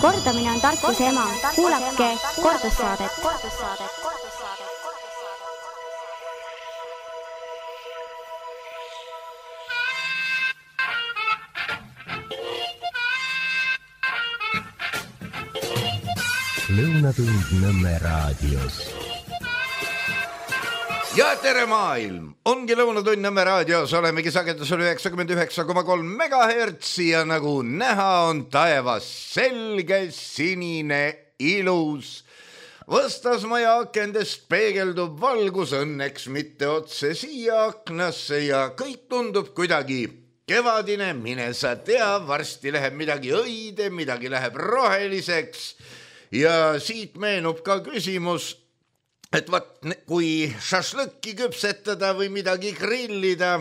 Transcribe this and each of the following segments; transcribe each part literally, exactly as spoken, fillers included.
Kordamine on tarkuse ema. Kuulake kordussaadet. Lõunatund Nõmme raadios. Ja tere maailm! Ongi Lõunatund Nõmme raadios, olemegi sagedusel üheksakümmend üheksa koma kolm megahertsi ja nagu näha on taevas selge, sinine, ilus. Vastasmaja akendest peegeldub valgus, õnneks mitte otse siia aknasse ja kõik tundub kuidagi kevadine, mine sa tea, varsti läheb midagi õide, midagi läheb roheliseks ja siit meenub ka küsimus, et vaat, kui šašlõkki küpsetada või midagi grillida,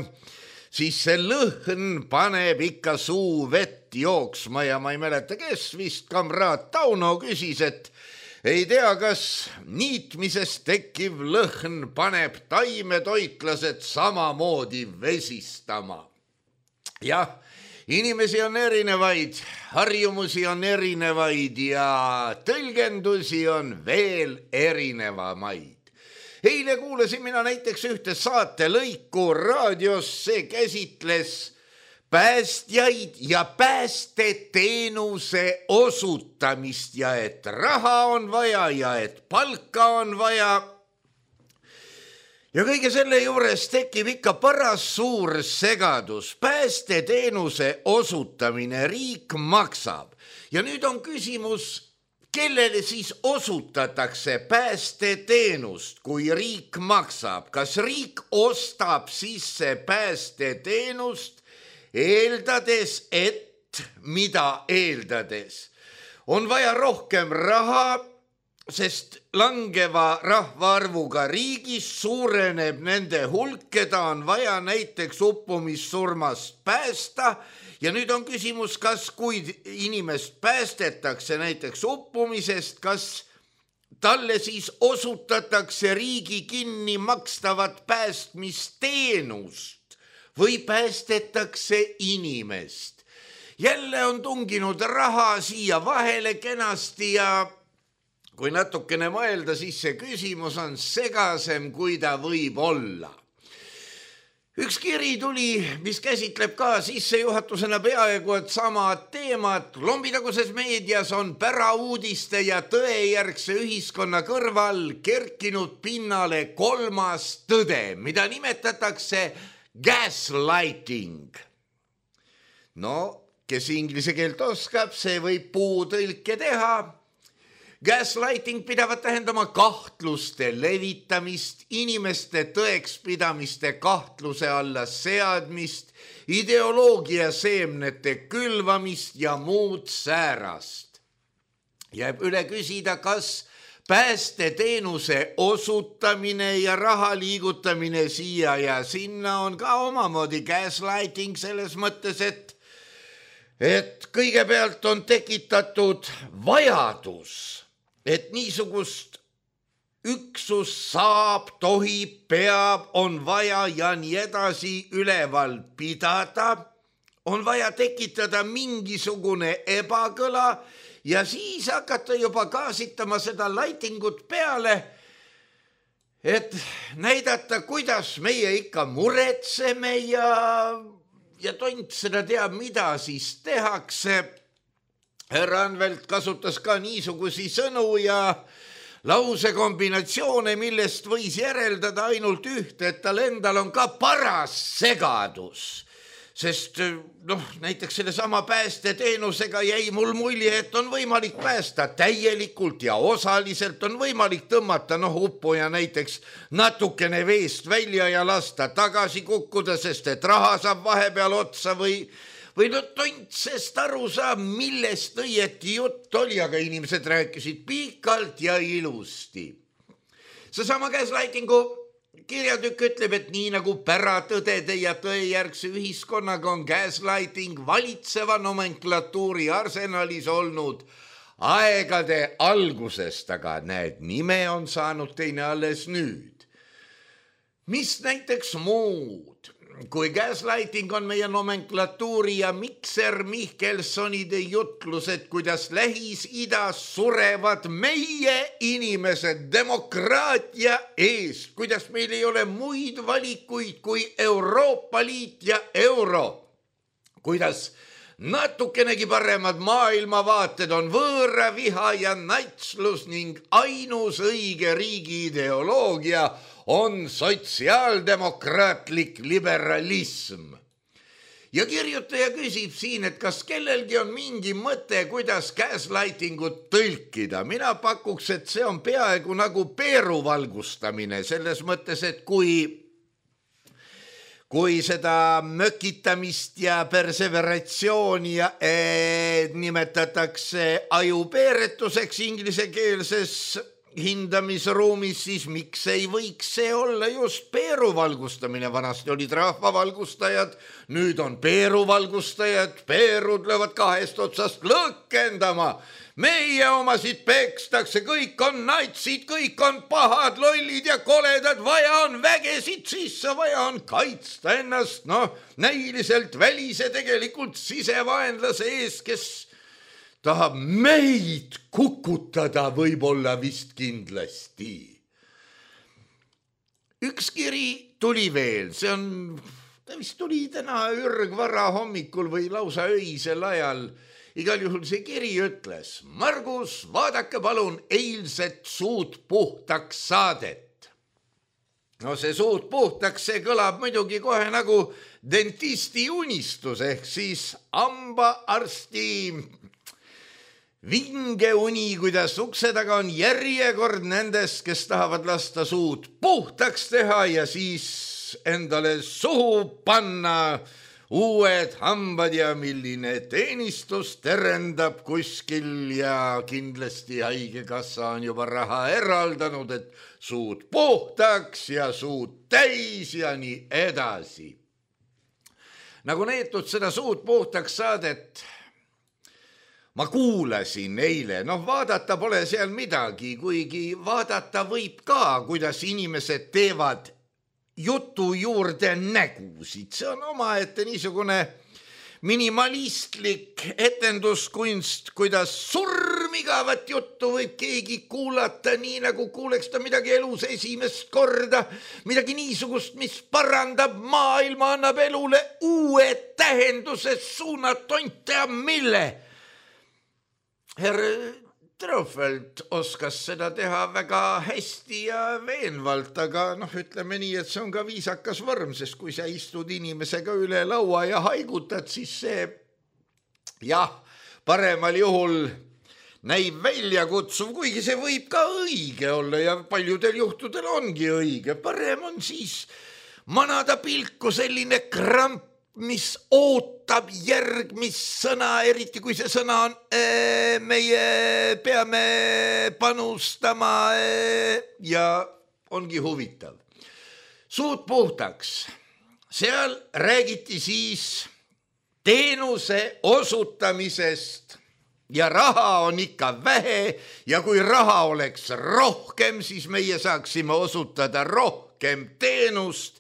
siis see lõhn paneb ikka suu vett jooksma ja ma ei mäleta, kes vist kamraad Tauno küsis, et ei tea, kas niitmisest tekkiv lõhn paneb taimetoitlased samamoodi vesistama. Jah, inimesi on erinevaid, harjumusi on erinevaid ja tõlgendusi on veel erinevamaid. Eile kuulasin mina näiteks ühte saatelõiku raadios, see käsitles päästjaid ja päästeteenuse osutamist ja et raha on vaja ja et palka on vaja. Ja kõige selle juures tekib ikka paras suur segadus. Päästeteenuse osutamine riik maksab. Ja nüüd on küsimus, kellele siis osutatakse päästeteenust, kui riik maksab? Kas riik ostab sisse päästeteenust eeldades, et mida eeldades? On vaja rohkem raha, sest langeva rahvaarvuga riigis suureneb nende hulk, keda on vaja näiteks uppumissurmast päästa. Ja nüüd on küsimus, kas kui inimest päästetakse näiteks uppumisest, kas talle siis osutatakse riigi kinni makstavat päästmisteenust või päästetakse inimest. Jälle on tunginud raha siia vahele kenasti ja kui natukene mõelda, siis see küsimus on segasem, kui ta võib olla. Üks kiri tuli, mis käsitleb ka sissejuhatusena peaaegu et sama teemat. Lombitaguses meedias on pärauudiste ja tõejärgse ühiskonna kõrval kerkinud pinnale kolmas tõde, mida nimetatakse gaslighting. No, kes inglise keelt oskab, see võib puutõlke teha. Gaslighting pidavat tähendama kahtluste levitamist, inimeste tõekspidamiste kahtluse alla seadmist, ideoloogia seemnete külvamist ja muud säärast. Jääb üle küsida, kas päästeteenuse osutamine ja raha liigutamine siia ja sinna on ka omamoodi gaslighting selles mõttes, et, et kõigepealt on tekitatud vajadus, et niisugust üksus saab, tohib, peab, on vaja ja nii edasi üleval pidada, on vaja tekitada mingisugune ebakõla ja siis hakata juba kaasitama seda lightingut peale, et näidata, kuidas meie ikka muretseme ja, ja tont seda teab, mida siis tehakse. Härra Anvelt kasutas ka niisugusi sõnu ja lausekombinatsioone, millest võis järeldada ainult ühte, et tal endal on ka paras segadus. Sest noh, näiteks selle sama päästeteenusega jäi mul mulje, et on võimalik päästa täielikult ja osaliselt on võimalik tõmmata noh, uppuja näiteks natukene veest välja ja lasta tagasi kukkuda, sest et raha saab vahepeal otsa või Või no tontsest aru saab, millest õieti jutt oli, aga inimesed rääkisid pikalt ja ilusti. Seesama gaslightingu kirjatükk ütleb, et nii nagu päratõdede ja tõejärgse ühiskonnaga on gaslighting valitseva nomenklatuuri arsenalis olnud aegade algusest, aga näed, nime on saanud teine alles nüüd. Mis näiteks muud? kui gaslighting on meie nomenklatuuri ja Mikser Mihkelsonide jutlused, kuidas Lähis-Idas surevad meie inimesed demokraatia eest, kuidas meil ei ole muid valikuid kui Euroopa Liit ja euro, kuidas natukenegi paremad maailmavaated on võõra viha ja natslus ning ainus õige riigi ideoloogia on sotsiaaldemokraatlik liberalism. Ja kirjutaja küsib siin, et kas kellelgi on mingi mõte, kuidas gaslightingut tõlkida. Mina pakuks, et see on peaaegu nagu peeruvalgustamine, selles mõttes, et kui kui seda mökitamist ja perseveratsiooni ja, ee, nimetatakse ajupeeretuseks inglisekeelses hindamisruumis, siis miks ei võiks see olla just peeruvalgustamine? Vanasti olid rahvavalgustajad, nüüd on peeruvalgustajad, peerud löövad kahest otsast lõkkendama. Meie omasid pekstakse, kõik on natsid, kõik on pahad, lollid ja koledad, vaja on vägesid sisse, vaja on kaitsta ennast, noh, näiliselt välise tegelikult sisevaenlase ees, kes tahab meid kukutada võib-olla vist kindlasti. Üks kiri tuli veel, see on, ta vist tuli täna ürgvara hommikul või lausa öisel ajal. Igal juhul see kiri ütles, Margus, vaadake palun eilset Suud puhtaks saadet. No see Suud puhtaks, see kõlab muidugi kohe nagu dentisti unistus, ehk siis hambaarsti vinge uni, kuidas ukse taga on järjekord nendest, kes tahavad lasta suud puhtaks teha ja siis endale suhu panna uued hambad ja milline teenistus terendab kuskil ja kindlasti haigekassa on juba raha eraldanud, et suud puhtaks ja suud täis ja nii edasi. Nagu neetud seda Suud puhtaks saadet ma kuulasin eile, noh vaadata pole seal midagi, kuigi vaadata võib ka, kuidas inimesed teevad jutu juurde nägusid. See on omaette niisugune minimalistlik etenduskunst, kuidas surmigavat juttu võib keegi kuulata, nii nagu kuuleks ta midagi elus esimest korda, midagi niisugust, mis parandab maailma, annab elule uue tähenduse suunatonte ja mille. Herr Trofeld oskas seda teha väga hästi ja veenvalt, aga noh, ütleme nii, et see on ka viisakas vorm, sest kui sa istud inimesega üle laua ja haigutad, siis see jah, paremal juhul näib väljakutsuv, kuigi see võib ka õige olla ja paljudel juhtudel ongi õige. Parem on siis manada pilku selline kramp, mis ootab järgmist sõna, eriti kui see sõna on ee, meie peame panustama ee, ja ongi huvitav. Suud puhtaks. Seal räägiti siis teenuse osutamisest ja raha on ikka vähe ja kui raha oleks rohkem, siis meie saaksime osutada rohkem teenust.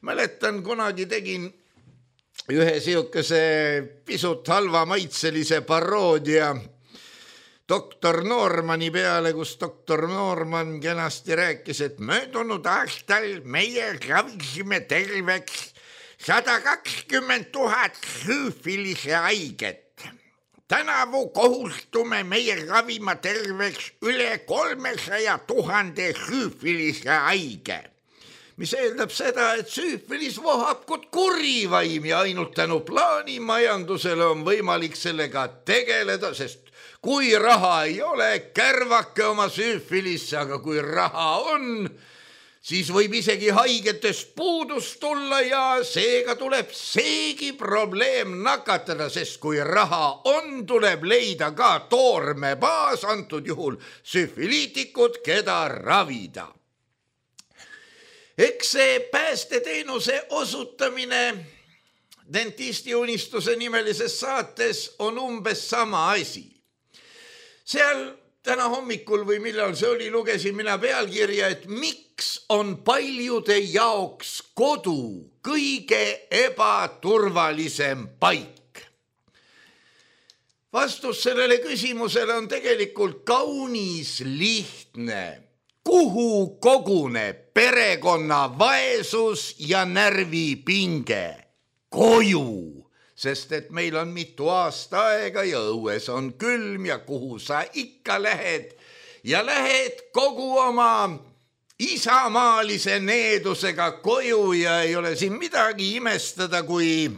Mäletan, kunagi tegin ühe siukese pisut halva maitselise paroodia doktor Normani peale, kus doktor Norman kenasti rääkis, et möödunud aastal meie ravisime terveks sada kakskümmend tuhat hüüfilise haiget. Tänavu kohustume meie ravima terveks üle kolmesaja tuhande hüüfilise haige. Mis eeldab seda, et süüfilis vohab kui kurivaim ja ainult tänu plaanimajandusele on võimalik sellega tegeleda, sest kui raha ei ole, kärvake oma süüfilisse, aga kui raha on, siis võib isegi haigetest puudus tulla ja seega tuleb seegi probleem nakatada, sest kui raha on, tuleb leida ka toormebaas, antud juhul süüfiliitikud, keda ravida. Eks see päästeteenuse osutamine dentisti unistuse nimelises saates on umbes sama asi. Seal täna hommikul või millal see oli, lugesin mina pealkirja, et miks on paljude jaoks kodu kõige ebaturvalisem paik. Vastus sellele küsimusele on tegelikult kaunis lihtne. Kuhu koguneb perekonna vaesus ja närvipinge? Koju. Sest et meil on mitu aasta aega ja õues on külm ja kuhu sa ikka lähed ja lähed kogu oma isamaalise needusega koju ja ei ole siin midagi imestada, kui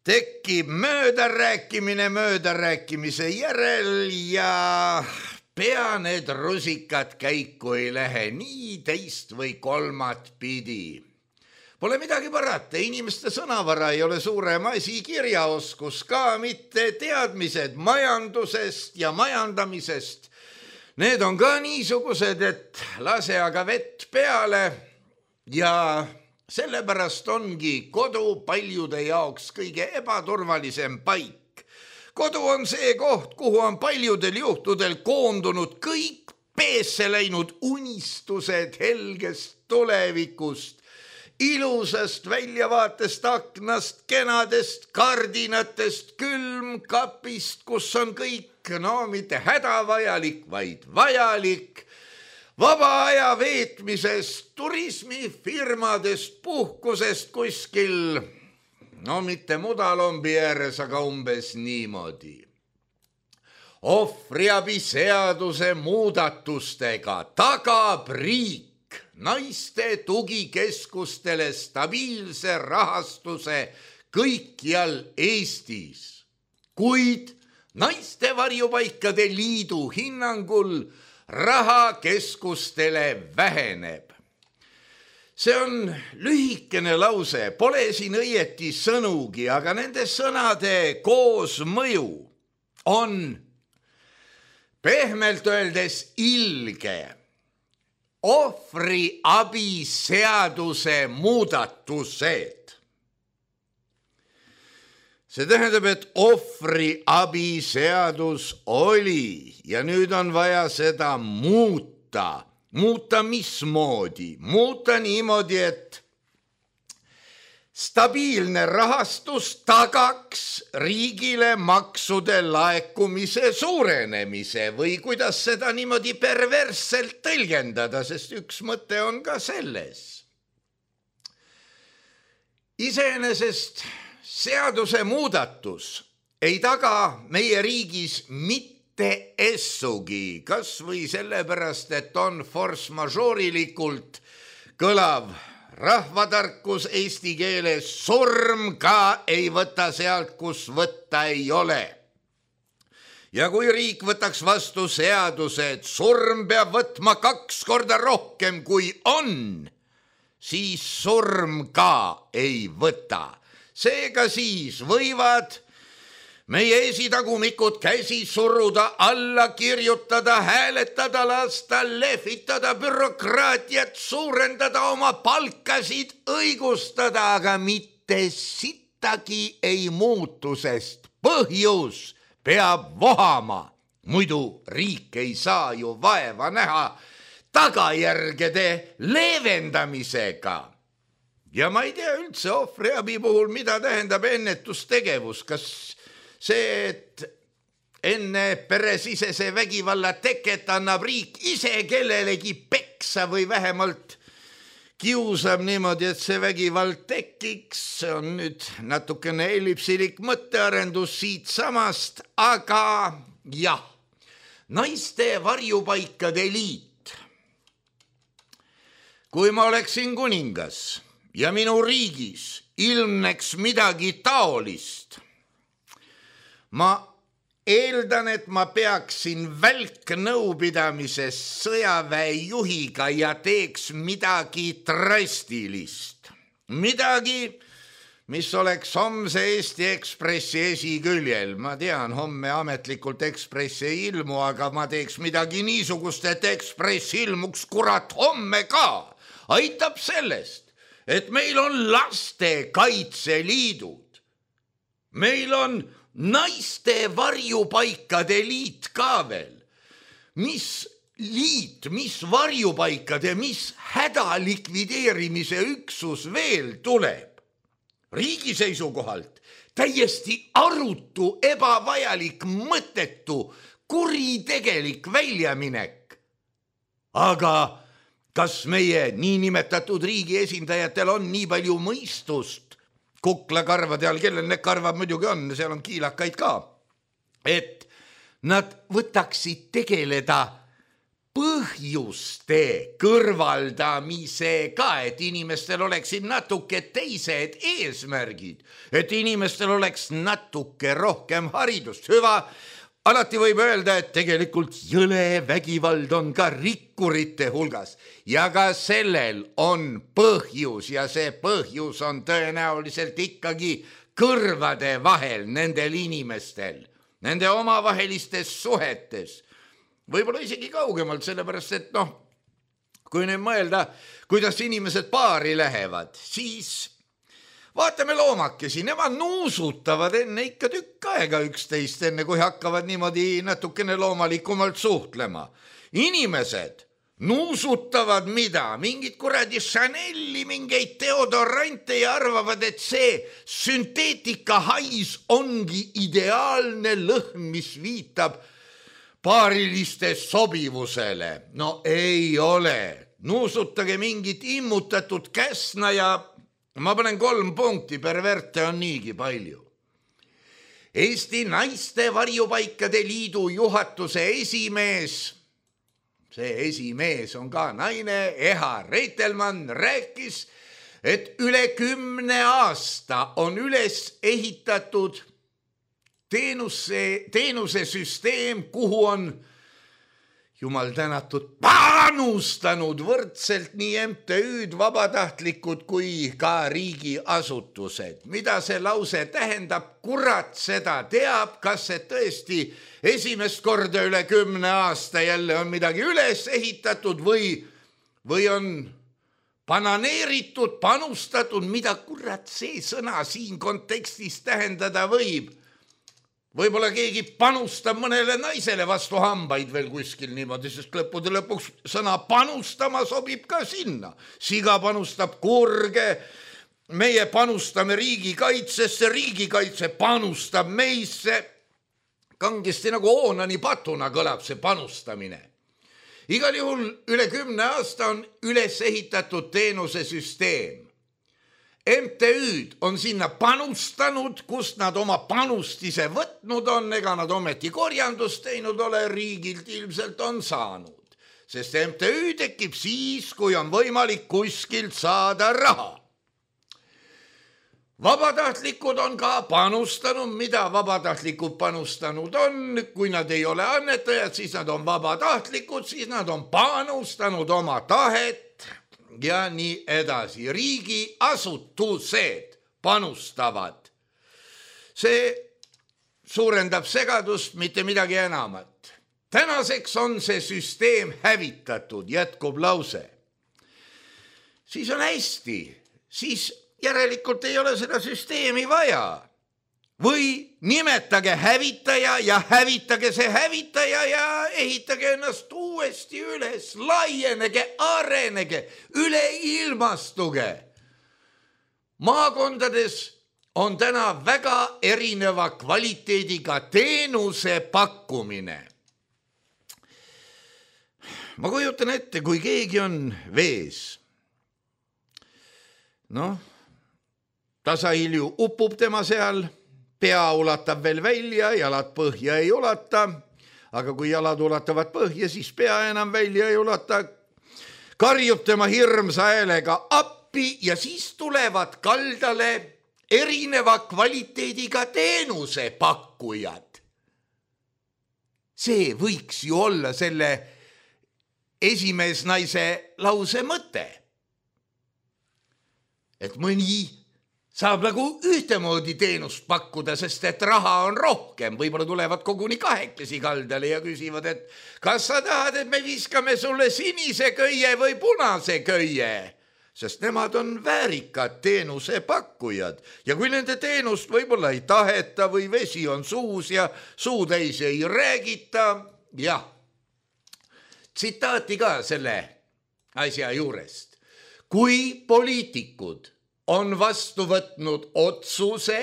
tekib möödarääkimine möödarääkimise järel ja pea need rusikad käiku ei lähe nii teist või kolmat pidi. Pole midagi parata, inimeste sõnavara ei ole suurem asi, kirjaoskus ka mitte, teadmised majandusest ja majandamisest. Need on ka niisugused, et lase aga vett peale ja sellepärast ongi kodu paljude jaoks kõige ebaturvalisem paik. Kodu on see koht, kuhu on paljudel juhtudel koondunud kõik peesse läinud unistused helgest tulevikust, ilusast väljavaatest aknast, kenadest kardinatest, külmkapist, kus on kõik, no mitte hädavajalik, vaid vajalik, vaba aja veetmisest, turismifirmadest, puhkusest kuskil, no mitte Mudalombi ääres, aga umbes niimoodi. Ohvriabi seaduse muudatustega tagab riik naiste tugikeskustele stabiilse rahastuse kõikjal Eestis, kuid naiste varjupaikade liidu hinnangul raha keskustele väheneb. See on lühikene lause, pole siin õieti sõnugi, aga nende sõnade koosmõju on pehmelt öeldes ilge. Ohvriabi seaduse muudatused. See tähendab, et ohvriabi seadus oli ja nüüd on vaja seda muuta. Muuta mismoodi? Muuta niimoodi, et stabiilne rahastus tagaks riigile maksude laekumise suurenemise või kuidas seda niimoodi perversselt tõlgendada, sest üks mõte on ka selles. Iseenesest seaduse muudatus ei taga meie riigis mitte essugi, kas või sellepärast, et on force majorilikult kõlav rahvatarkus eesti keeles, surm ka ei võta sealt, kus võtta ei ole. Ja kui riik võtaks vastu seaduse, et surm peab võtma kaks korda rohkem kui on, siis surm ka ei võta. Seega siis võivad meie esitagumikud käsi suruda, alla kirjutada, hääletada, lasta, lehvitada, bürokraatiat suurendada, oma palkasid õigustada, aga mitte sittagi ei muutu, sest põhjus peab vohama. Muidu riik ei saa ju vaeva näha tagajärgede leevendamisega. Ja ma ei tea üldse ohvriabi puhul, mida tähendab ennetustegevus, kas see, et enne peresisese vägivalla teket annab riik ise kellelegi peksa või vähemalt kiusab niimoodi, et see vägivald tekiks. See on nüüd natukene ellipsilik mõttearendus siit samast, aga jah, naiste varjupaikade liit. Kui ma oleksin kuningas ja minu riigis ilmneks midagi taolist, ma eeldan, et ma peaksin välknõupidamise sõjaväe juhiga ja teeks midagi drastilist. Midagi, mis oleks homse Eesti Ekspressi esiküljel. Ma tean, homme ametlikult Ekspress ei ilmu, aga ma teeks midagi niisugust, et Ekspress ilmuks kurat homme ka. Aitab sellest, et meil on lastekaitseliidud. Meil on naiste varjupaikade liit ka veel. mis liit, mis varjupaikade, mis hädalikvideerimise üksus veel tuleb. Riigi seisukohalt täiesti arutu, ebavajalik, mõttetu, kuritegelik väljaminek. Aga kas meie niinimetatud riigi esindajatel on nii palju mõistust, kuklakarvade all, kellel need karvad muidugi on, seal on kiilakaid ka, et nad võtaksid tegeleda põhjuste kõrvaldamisega, et inimestel oleksid natuke teised eesmärgid, et inimestel oleks natuke rohkem haridust. Hüva, alati võib öelda, et tegelikult jõle vägivald on ka rikkurite hulgas ja ka sellel on põhjus ja see põhjus on tõenäoliselt ikkagi kõrvade vahel nendel inimestel, nende omavahelistes suhetes. Võib-olla isegi kaugemalt, sellepärast, et noh, kui nüüd mõelda, kuidas inimesed paari lähevad, siis vaatame loomakesi, nemad nuusutavad enne ikka tükk aega üksteist, enne kui hakkavad niimoodi natukene loomalikumalt suhtlema. Inimesed nuusutavad mida? Mingid kuradi Chanel'i, mingeid deodorante ja arvavad, et see sünteetika hais ongi ideaalne lõhn, mis viitab paariliste sobivusele. No ei ole. Nuusutage mingit immutatud käsna ja ma panen kolm punkti, perverte on niigi palju. Eesti Naiste Varjupaikade Liidu juhatuse esimees, see esimees on ka naine, Eha Reitelmann, rääkis, et üle kümne aasta on üles ehitatud Teenuse, teenusesüsteem, kuhu on jumal tänatud panustanud võrdselt nii M T Ü'd, vabatahtlikud kui ka riigiasutused. Mida see lause tähendab? Kurat seda teab, kas see tõesti esimest korda üle kümne aasta jälle on midagi üles ehitatud või, või on bananeeritud, panustatud, mida kurat see sõna siin kontekstis tähendada võib. Võib-olla keegi panustab mõnele naisele vastu hambaid veel kuskil niimoodi, sest lõppude lõpuks sõna panustama sobib ka sinna. Siga panustab kurge, meie panustame riigikaitsesse, riigikaitse panustab meisse. Kangesti nagu Oonani patuna kõlab see panustamine. Igal juhul üle kümne aasta on üles ehitatud teenusesüsteem. M T Ü'd on sinna panustanud, kust nad oma panust ise võtnud on, ega nad ometi korjandust teinud ole, riigilt ilmselt on saanud. Sest M T Ü tekib siis, kui on võimalik kuskilt saada raha. Vabatahtlikud on ka panustanud, mida vabatahtlikud panustanud on, kui nad ei ole annetajad, siis nad on vabatahtlikud, siis nad on panustanud oma tahet, ja nii edasi. Riigiasutused panustavad. See suurendab segadust, mitte midagi enamat. Tänaseks on see süsteem hävitatud, jätkub lause. Siis on hästi, siis järelikult ei ole seda süsteemi vaja. Või nimetage hävitaja ja hävitage see hävitaja ja ehitage ennast uuesti üles, laienege, arenege, üleilmastuge. Maakondades on täna väga erineva kvaliteediga teenuse pakkumine. Ma kujutan ette, kui keegi on vees. Noh, tasahilju upub tema seal, pea ulatab veel välja, jalad põhja ei ulata, aga kui jalad ulatavad põhja, siis pea enam välja ei ulata. Karjub tema hirmsa häälega appi ja siis tulevad kaldale erineva kvaliteediga teenuse pakkujad. See võiks ju olla selle esimees naise lause mõte. Et mõni saab nagu ühtemoodi teenust pakkuda, sest et raha on rohkem. Võib-olla tulevad koguni kahekesi kaldale ja küsivad, et kas sa tahad, et me viskame sulle sinise köie või punase köie? Sest nemad on väärikad teenuse pakkujad. Ja kui nende teenust võib-olla ei taheta või vesi on suus ja suu täis ei räägita, jah, tsitaati ka selle asja juurest. Kui poliitikud on vastu võtnud otsuse,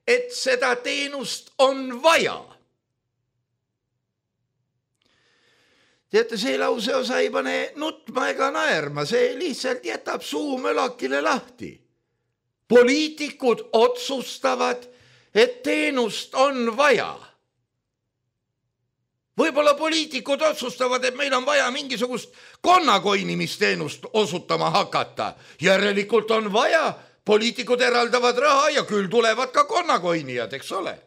et seda teenust on vaja. Teate, see lause osa ei pane nutma ega naerma, see lihtsalt jätab suu mölakile lahti. Poliitikud otsustavad, et teenust on vaja. Võib-olla poliitikud otsustavad, et meil on vaja mingisugust konnakoinimisteenust osutama hakata. Järelikult on vaja, poliitikud eraldavad raha ja küll tulevad ka konnakoinijad, eks ole.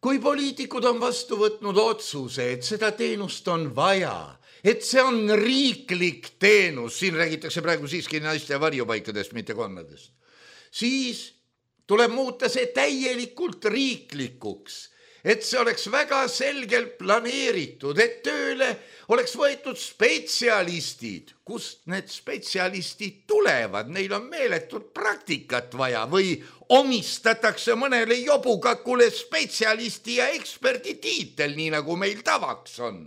Kui poliitikud on vastu võtnud otsuse, et seda teenust on vaja, et see on riiklik teenus, siin räägitakse praegu siiski naiste varjupaikadest, mitte konnadest, siis tuleb muuta see täielikult riiklikuks, et see oleks väga selgelt planeeritud, et tööle oleks võetud spetsialistid. Kust need spetsialistid tulevad? Neil on meeletut praktikat vaja või omistatakse mõnele jobukakule spetsialisti ja eksperdi tiitel, nii nagu meil tavaks on.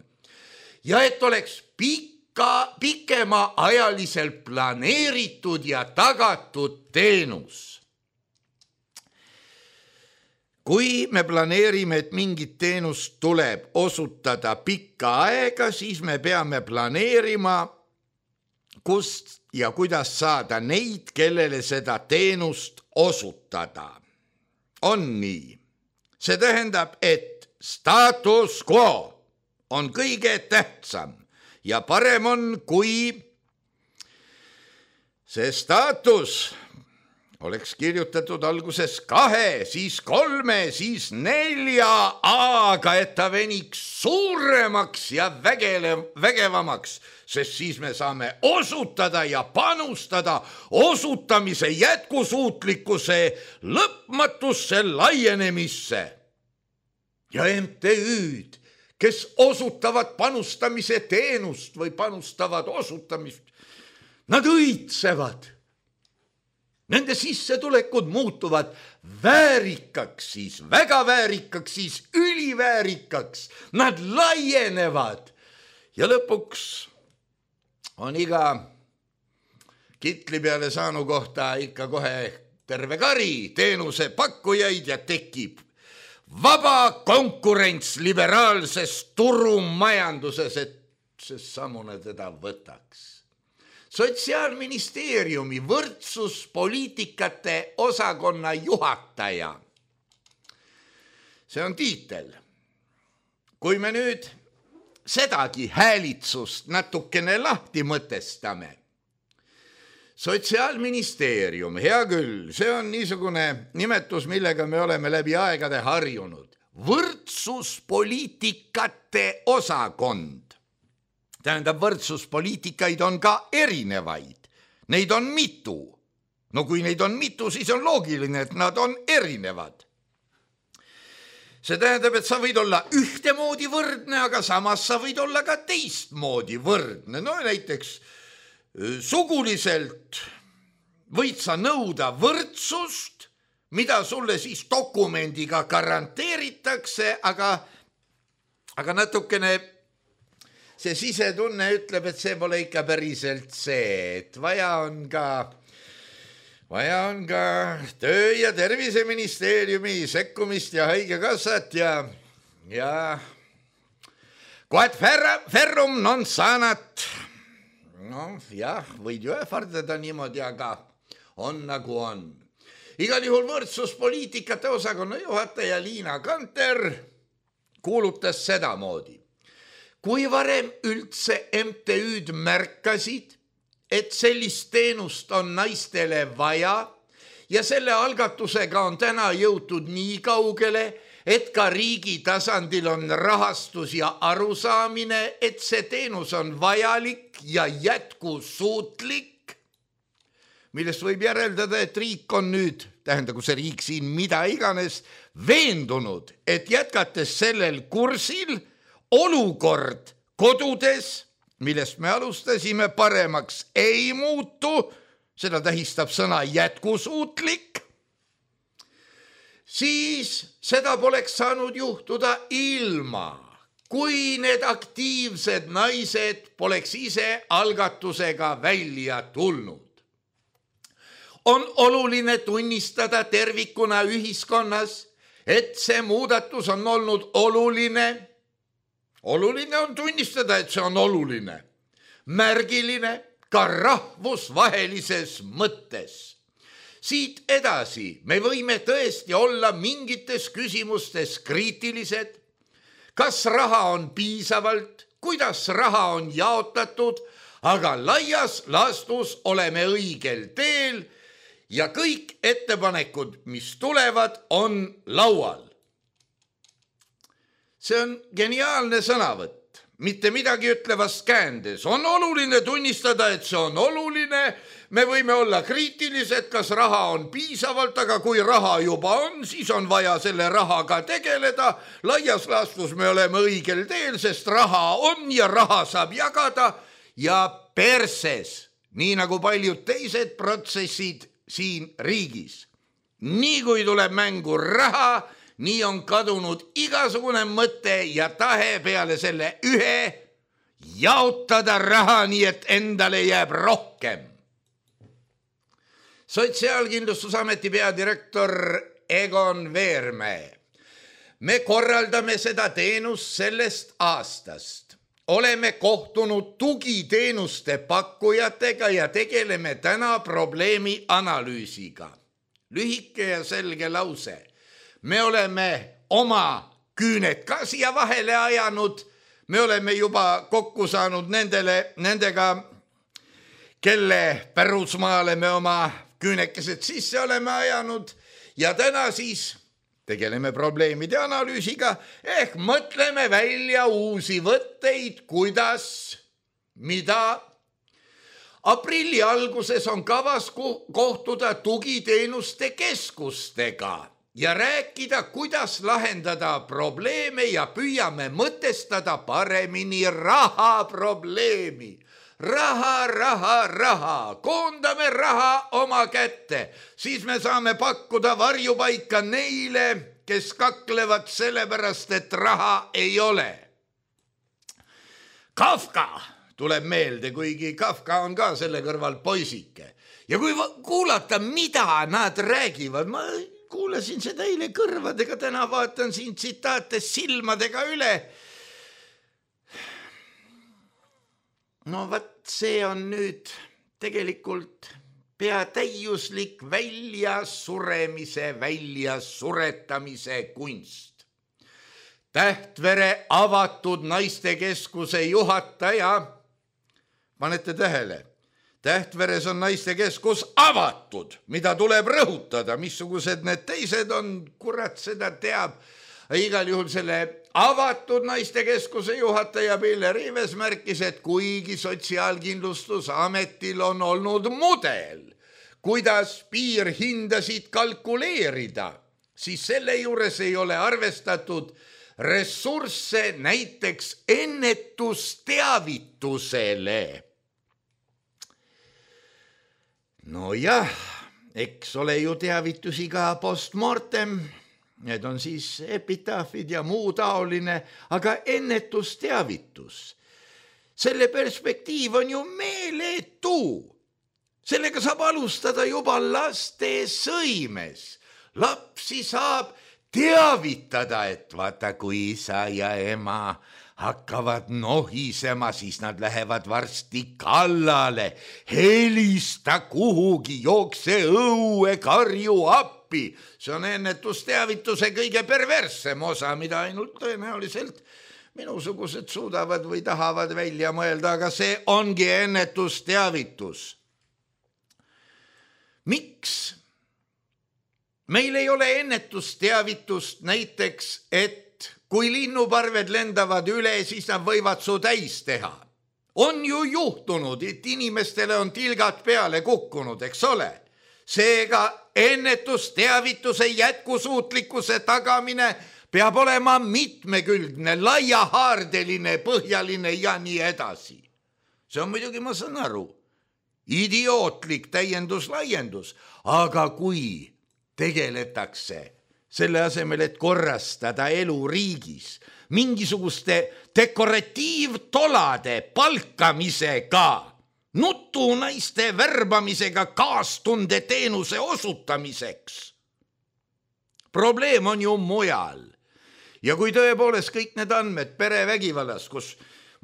Ja et oleks pika, pikema ajaliselt planeeritud ja tagatud teenus. Kui me planeerime, et mingit teenust tuleb osutada pikka aega, siis me peame planeerima, kust ja kuidas saada neid, kellele seda teenust osutada. On nii. See tähendab, et status quo on kõige tähtsam ja parem on, kui see staatus oleks kirjutatud alguses kahe, siis kolme, siis nelja A-ga, et ta veniks suuremaks ja vägele, vägevamaks, sest siis me saame osutada ja panustada osutamise jätkusuutlikkuse lõpmatusse laienemisse. Ja M T Ü-d, kes osutavad panustamise teenust või panustavad osutamist, nad õitsevad. Nende sissetulekud muutuvad väärikaks, siis väga väärikaks, siis üliväärikaks. Nad laienevad ja lõpuks on iga kitli peale saanu kohta ikka kohe terve kari teenuse pakkujaid ja tekib vaba konkurents liberaalses turumajanduses, et see samune teda võtaks. Sotsiaalministeeriumi võrdsuspoliitikate osakonna juhataja. See on tiitel. Kui me nüüd sedagi häälitsust natukene lahti mõtestame. Sotsiaalministeerium, hea küll, see on niisugune nimetus, millega me oleme läbi aegade harjunud. Võrdsuspoliitikate osakond. Tähendab, võrdsuspoliitikaid on ka erinevaid. Neid on mitu. No kui neid on mitu, siis on loogiline, et nad on erinevad. See tähendab, et sa võid olla ühtemoodi võrdne, aga samas sa võid olla ka teistmoodi võrdne. No näiteks suguliselt võid sa nõuda võrdsust, mida sulle siis dokumendiga garanteeritakse, aga, aga natukene see sisetunne ütleb, et see pole ikka päriselt see, et vaja on ka, vaja on ka töö- ja terviseministeeriumi sekkumist ja haigekassat ja, ja quod ferrum non sanat. No jah, võid ju ähvardada niimoodi, aga on nagu on. Igal juhul võrdsuspoliitikate osakonna juhataja Liina Kanter kuulutas sedamoodi. Kui varem üldse M T Ü-d märkasid, et sellist teenust on naistele vaja ja selle algatusega on täna jõutud nii kaugele, et ka riigi tasandil on rahastus ja arusaamine, et see teenus on vajalik ja jätkusuutlik, millest võib järeldada, et riik on nüüd, tähendagu see riik siin mida iganes, veendunud, et jätkates sellel kursil olukord kodudes, millest me alustasime, paremaks ei muutu, seda tähistab sõna jätkusuutlik, siis seda poleks saanud juhtuda ilma kui need aktiivsed naised poleks ise algatusega välja tulnud. On oluline tunnistada tervikuna ühiskonnas, et see muudatus on olnud oluline. Oluline on tunnistada, et see on oluline. Märgiline ka rahvusvahelises mõttes. Siit edasi me võime tõesti olla mingites küsimustes kriitilised. Kas raha on piisavalt, kuidas raha on jaotatud, aga laias laastus oleme õigel teel ja kõik ettepanekud, mis tulevad, on laual. See on geniaalne sõnavõtt, mitte midagi ütlevast käändes. On oluline tunnistada, et see on oluline. Me võime olla kriitilised, kas raha on piisavalt, aga kui raha juba on, siis on vaja selle rahaga tegeleda. Laias laastus me oleme õigel teel, sest raha on ja raha saab jagada ja perses, nii nagu paljud teised protsessid siin riigis. Nii kui tuleb mängu raha, nii on kadunud igasugune mõte ja tahe peale selle ühe jaotada raha nii, et endale jääb rohkem. Sotsiaalkindlustusameti peadirektor Egon Veermäe. Me korraldame seda teenust sellest aastast. Oleme kohtunud tugiteenuste pakkujatega ja tegeleme täna probleemi analüüsiga. Lühike ja selge lause. Me oleme oma küüned ka siia vahele ajanud. Me oleme juba kokku saanud nendele, nendega, kelle pärusmaale me oma küünekesed sisse oleme ajanud ja täna siis tegeleme probleemide analüüsiga ehk mõtleme välja uusi võtteid, kuidas, mida. Aprilli alguses on kavas kohtuda tugiteenuste keskustega ja rääkida, kuidas lahendada probleeme ja püüame mõtestada paremini raha probleemi. Raha, raha, raha, koondame raha oma kätte, siis me saame pakkuda varjupaika neile, kes kaklevad sellepärast, et raha ei ole. Kafka tuleb meelde, kuigi Kafka on ka selle kõrval poisike. Ja kui kuulata, mida nad räägivad, ma kuulasin seda eile kõrvadega, täna vaatan siin tsitaate silmadega üle. No vaat see on nüüd tegelikult pea täiuslik väljasuremise, väljasuretamise kunst. Tähtvere avatud naistekeskuse juhataja, panete tähele, Tähtveres on naistekeskus avatud, mida tuleb rõhutada, missugused need teised on, kurat seda teab. Igal juhul selle avatud naistekeskuse juhataja Pille Riives märkis, et kuigi Sotsiaalkindlustusametil on olnud mudel, kuidas piirhindasid kalkuleerida, siis selle juures ei ole arvestatud ressursse näiteks ennetusteavitusele. No jah, eks ole ju teavitusi ka postmortem. Need on siis epitaafid ja muu taoline, aga ennetusteavitus. Selle perspektiiv on ju meeletu. Sellega saab alustada juba laste sõimes. Lapsi saab teavitada, et vaata, kui isa ja ema hakkavad nohisema, siis nad lähevad varsti kallale. Helista kuhugi, jookse õue, karju appi. See on ennetusteavituse kõige perverssem osa, mida ainult tõenäoliselt minusugused suudavad või tahavad välja mõelda, aga see ongi ennetusteavitus. Miks? Meil ei ole ennetusteavitust näiteks, et kui linnuparved lendavad üle, siis nad võivad su täis teha. On ju juhtunud, et inimestele on tilgad peale kukkunud, eks ole? Seega ennetusteavituse jätkusuutlikkuse tagamine peab olema mitmekülgne, laiahaardeline, põhjaline ja nii edasi. See on muidugi, ma saan aru, idiootlik täiendus-laiendus, aga kui tegeletakse selle asemel, et korrastada elu riigis mingisuguste dekoratiivtolade palkamisega, nutunaiste värbamisega kaastunde teenuse osutamiseks. Probleem on ju mujal. Ja kui tõepoolest kõik need andmed perevägivallas, kus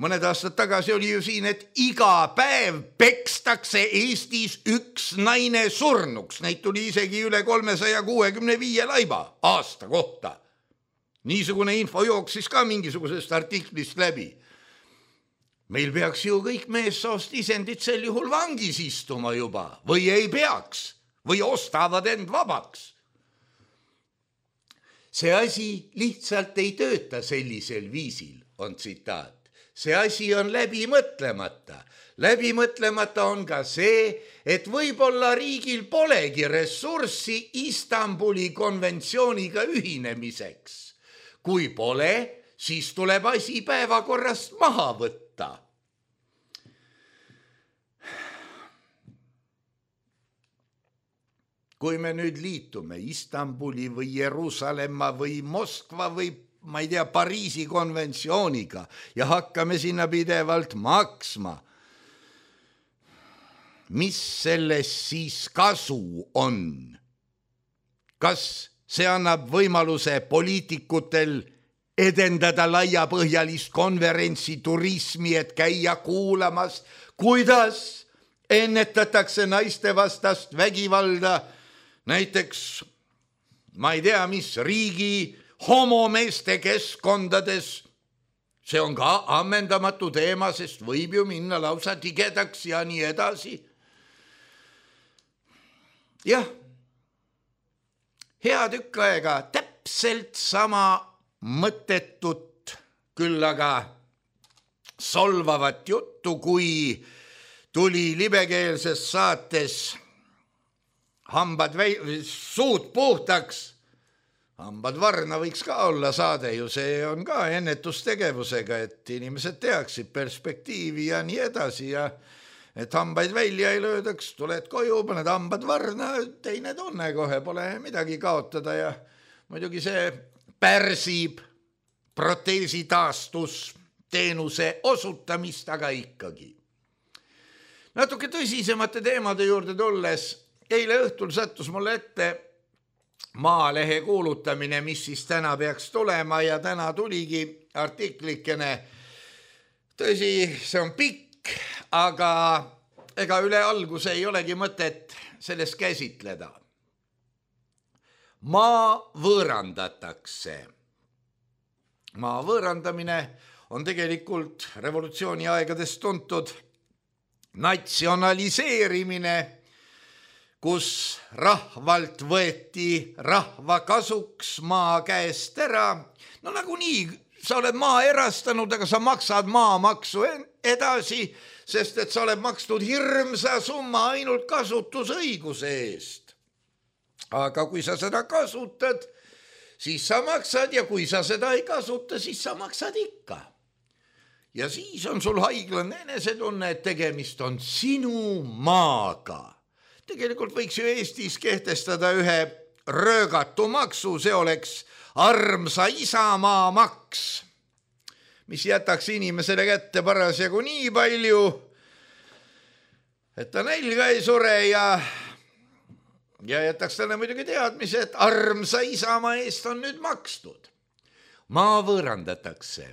mõned aastad tagasi oli ju siin, et iga päev pekstakse Eestis üks naine surnuks, neid tuli isegi üle kolmesaja kuuekümne viie laiba aasta kohta. Niisugune info jooksis ka mingisugusest artiklist läbi. Meil peaks ju kõik meessoost isendid sel juhul vangis istuma juba või ei peaks või ostavad end vabaks. See asi lihtsalt ei tööta sellisel viisil, on tsitaat. See asi on läbi mõtlemata. Läbi mõtlemata on ka see, et võib-olla riigil polegi ressurssi Istanbuli konventsiooniga ühinemiseks. Kui pole, siis tuleb asi päevakorrast maha võtta. Kui me nüüd liitume Istanbuli või Jeruusalemma või Moskva või ma ei tea, Pariisi konventsiooniga ja hakkame sinna pidevalt maksma, mis sellest siis kasu on? Kas see annab võimaluse poliitikutel edendada laiapõhjalist konverentsi turismi, et käia kuulamas, kuidas ennetatakse naiste vastast vägivalda, näiteks, ma ei tea, mis riigi homomeeste keskkondades. See on ka ammendamatu teema, sest võib ju minna lausa tigedaks ja nii edasi. Jah, hea tükk aega täpselt sama mõttetut, küll aga solvavat juttu, kui tuli libekeelses saates hambad vei- suud puhtaks. Hambad varna võiks ka olla saade ju, see on ka ennetustegevusega, et inimesed teaksid perspektiivi ja nii edasi ja et hambaid välja ei löödaks, tuled koju, paned hambad varna, teine tunne kohe, pole midagi kaotada ja muidugi see pärsib proteesi taastus teenuse osutamist, aga ikkagi. Natuke tõsisemate teemade juurde tulles, eile õhtul sattus mulle ette Maalehe kuulutamine, mis siis täna peaks tulema ja täna tuligi artiklikene. Tõsi, see on pikk, aga ega üle alguse ei olegi mõtet sellest käsitleda. Maa võõrandatakse. Maa võõrandamine on tegelikult revolutsiooni aegadest tuntud natsionaliseerimine, kus rahvalt võeti rahva kasuks maa käest ära. No nagu nii, sa oled maa erastanud, aga sa maksad maamaksu edasi, sest et sa oled makstud hirmsa summa ainult kasutusõiguse eest. Aga kui sa seda kasutad, siis sa maksad ja kui sa seda ei kasuta, siis sa maksad ikka. Ja siis on sul haiglane enesetunne, et tegemist on sinu maaga. Tegelikult võiks ju Eestis kehtestada ühe röögatu maksu, see oleks armsa isamaa maks, mis jätaks inimesele kätte parasjagu nii palju, et ta nälga ei sure ja, ja jätaks talle muidugi teadmise, et armsa isamaa eest on nüüd makstud. Maa võõrandatakse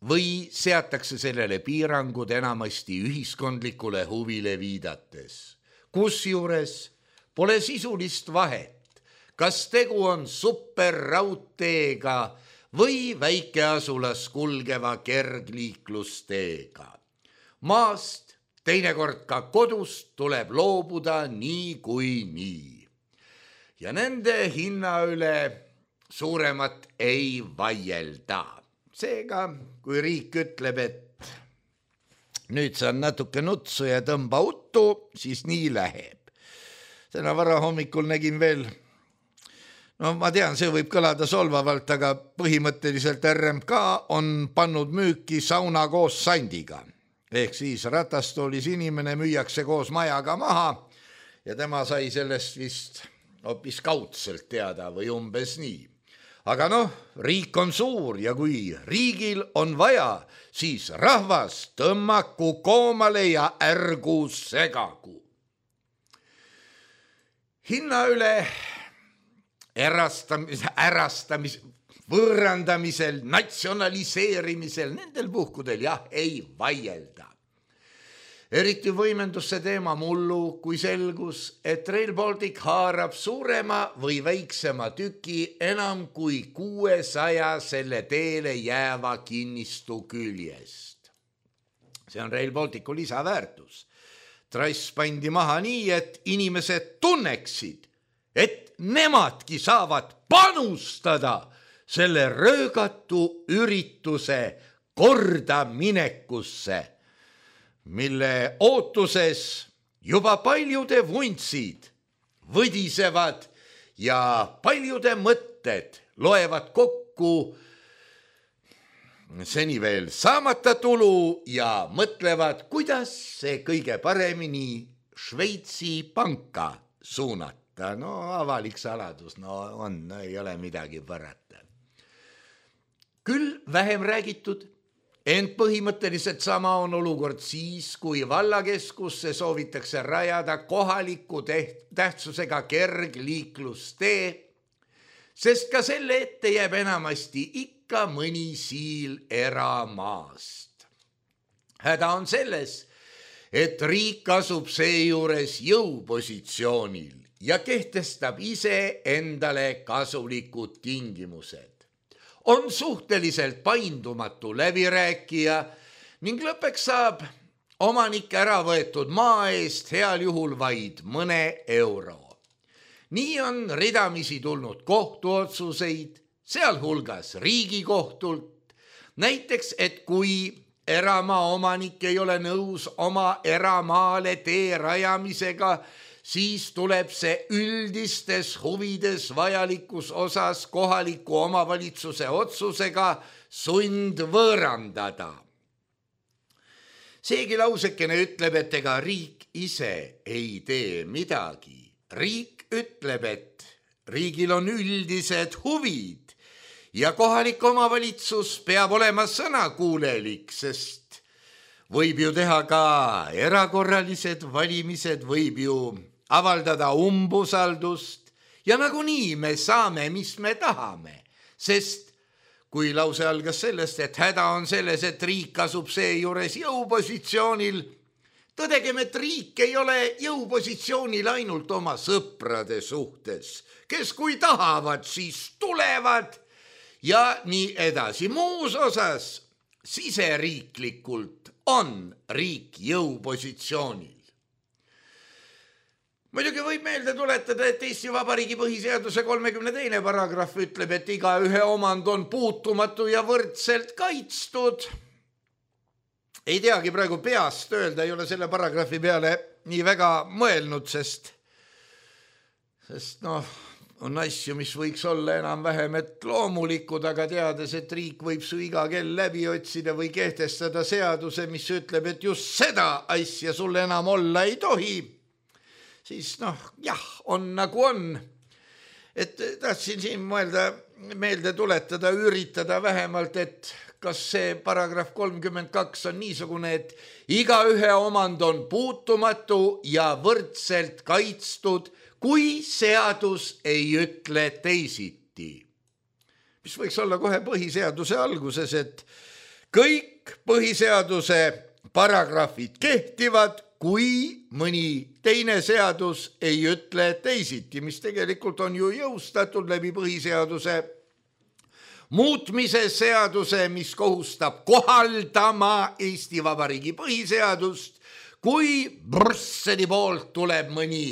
või seatakse sellele piirangud enamasti ühiskondlikule huvile viidates. Kusjuures pole sisulist vahet, kas tegu on superraudteega või väikeasulas kulgeva kergliiklusteega. Maast, teinekord ka kodust tuleb loobuda nii kui nii. Ja nende hinna üle suuremat ei vaielda. Seega, kui riik ütleb, et nüüd saan natuke nutsu ja tõmba uttu, siis nii läheb. Täna vara hommikul nägin veel, no ma tean, see võib kõlada solvavalt, aga põhimõtteliselt R M K on pannud müüki sauna koos sandiga. Ehk siis ratastoolis inimene müüakse koos majaga maha ja tema sai sellest vist hoopis kaudselt teada või umbes nii. Aga noh, riik on suur ja kui riigil on vaja, siis rahvas tõmmaku koomale ja ärgu segagu. Hinna üle ärastamis, ärastamis, võõrandamisel, natsionaliseerimisel, nendel puhkudel jah, ei vaielda. Eriti võimendus see teema mullu, kui selgus, et Rail Baltic haarab suurema või väiksema tüki enam kui kuuesaja selle teele jääva kinnistu küljest. See on Rail Balticu lisaväärtus. Trass pandi maha nii, et inimesed tunneksid, et nemadki saavad panustada selle röögatu ürituse kordaminekusse, mille ootuses juba paljude vuntsid võdisevad ja paljude mõtted loevad kokku seni veel saamata tulu ja mõtlevad, kuidas see kõige paremini Šveitsi panka suunata. No avalik saladus, no on, no ei ole midagi parata. Küll vähem räägitud, ent põhimõtteliselt sama on olukord siis, kui vallakeskusse soovitakse rajada kohaliku tähtsusega kergliiklustee, sest ka selle ette jääb enamasti ikka mõni siil eramaast. Häda on selles, et riik asub seejuures jõupositsioonil ja kehtestab ise endale kasulikud tingimused. On suhteliselt paindumatu läbirääkija ning lõpeks saab omanik ära võetud maa eest heal juhul vaid mõne euro. Nii on ridamisi tulnud kohtuotsuseid, sealhulgas Riigikohtult, näiteks, et kui eramaa omanik ei ole nõus oma eramaale tee rajamisega, siis tuleb see üldistes huvides vajalikus osas kohaliku omavalitsuse otsusega sundvõõrandada. Seegi lausekene ütleb, et ega riik ise ei tee midagi. Riik ütleb, et riigil on üldised huvid ja kohalik omavalitsus peab olema sõnakuulelik, sest võib ju teha ka erakorralised valimised, võib ju avaldada umbusaldust ja nagunii me saame, mis me tahame, sest kui lause algas sellest, et häda on selles, et riik asub seejuures jõupositsioonil, tõdegem, et riik ei ole jõupositsioonil ainult oma sõprade suhtes, kes kui tahavad, siis tulevad ja nii edasi. Muus osas siseriiklikult on riik jõupositsioonil. Muidugi võib meelde tuletada, et Eesti Vabariigi põhiseaduse kolmekümne teine paragrahv ütleb, et igaühe omand on puutumatu ja võrdselt kaitstud. Ei teagi praegu peast öelda, ei ole selle paragrahvi peale nii väga mõelnud, sest, sest noh, on asju, mis võiks olla enam vähem et loomulikud, aga teades, et riik võib su iga kell läbi otsida või kehtestada seaduse, mis ütleb, et just seda asja sul enam olla ei tohi, siis noh, jah, on nagu on. Et tahtsin siin mõelda, meelde tuletada, üritada vähemalt, et kas see paragrahv kolmkümmend kaks on niisugune, et igaühe omand on puutumatu ja võrdselt kaitstud, kui seadus ei ütle teisiti. Mis võiks olla kohe põhiseaduse alguses, et kõik põhiseaduse paragrahvid kehtivad, kui mõni teine seadus ei ütle teisiti, mis tegelikult on ju jõustatud läbi põhiseaduse muutmise seaduse, mis kohustab kohaldama Eesti Vabariigi põhiseadust, kui Brüsseli poolt tuleb mõni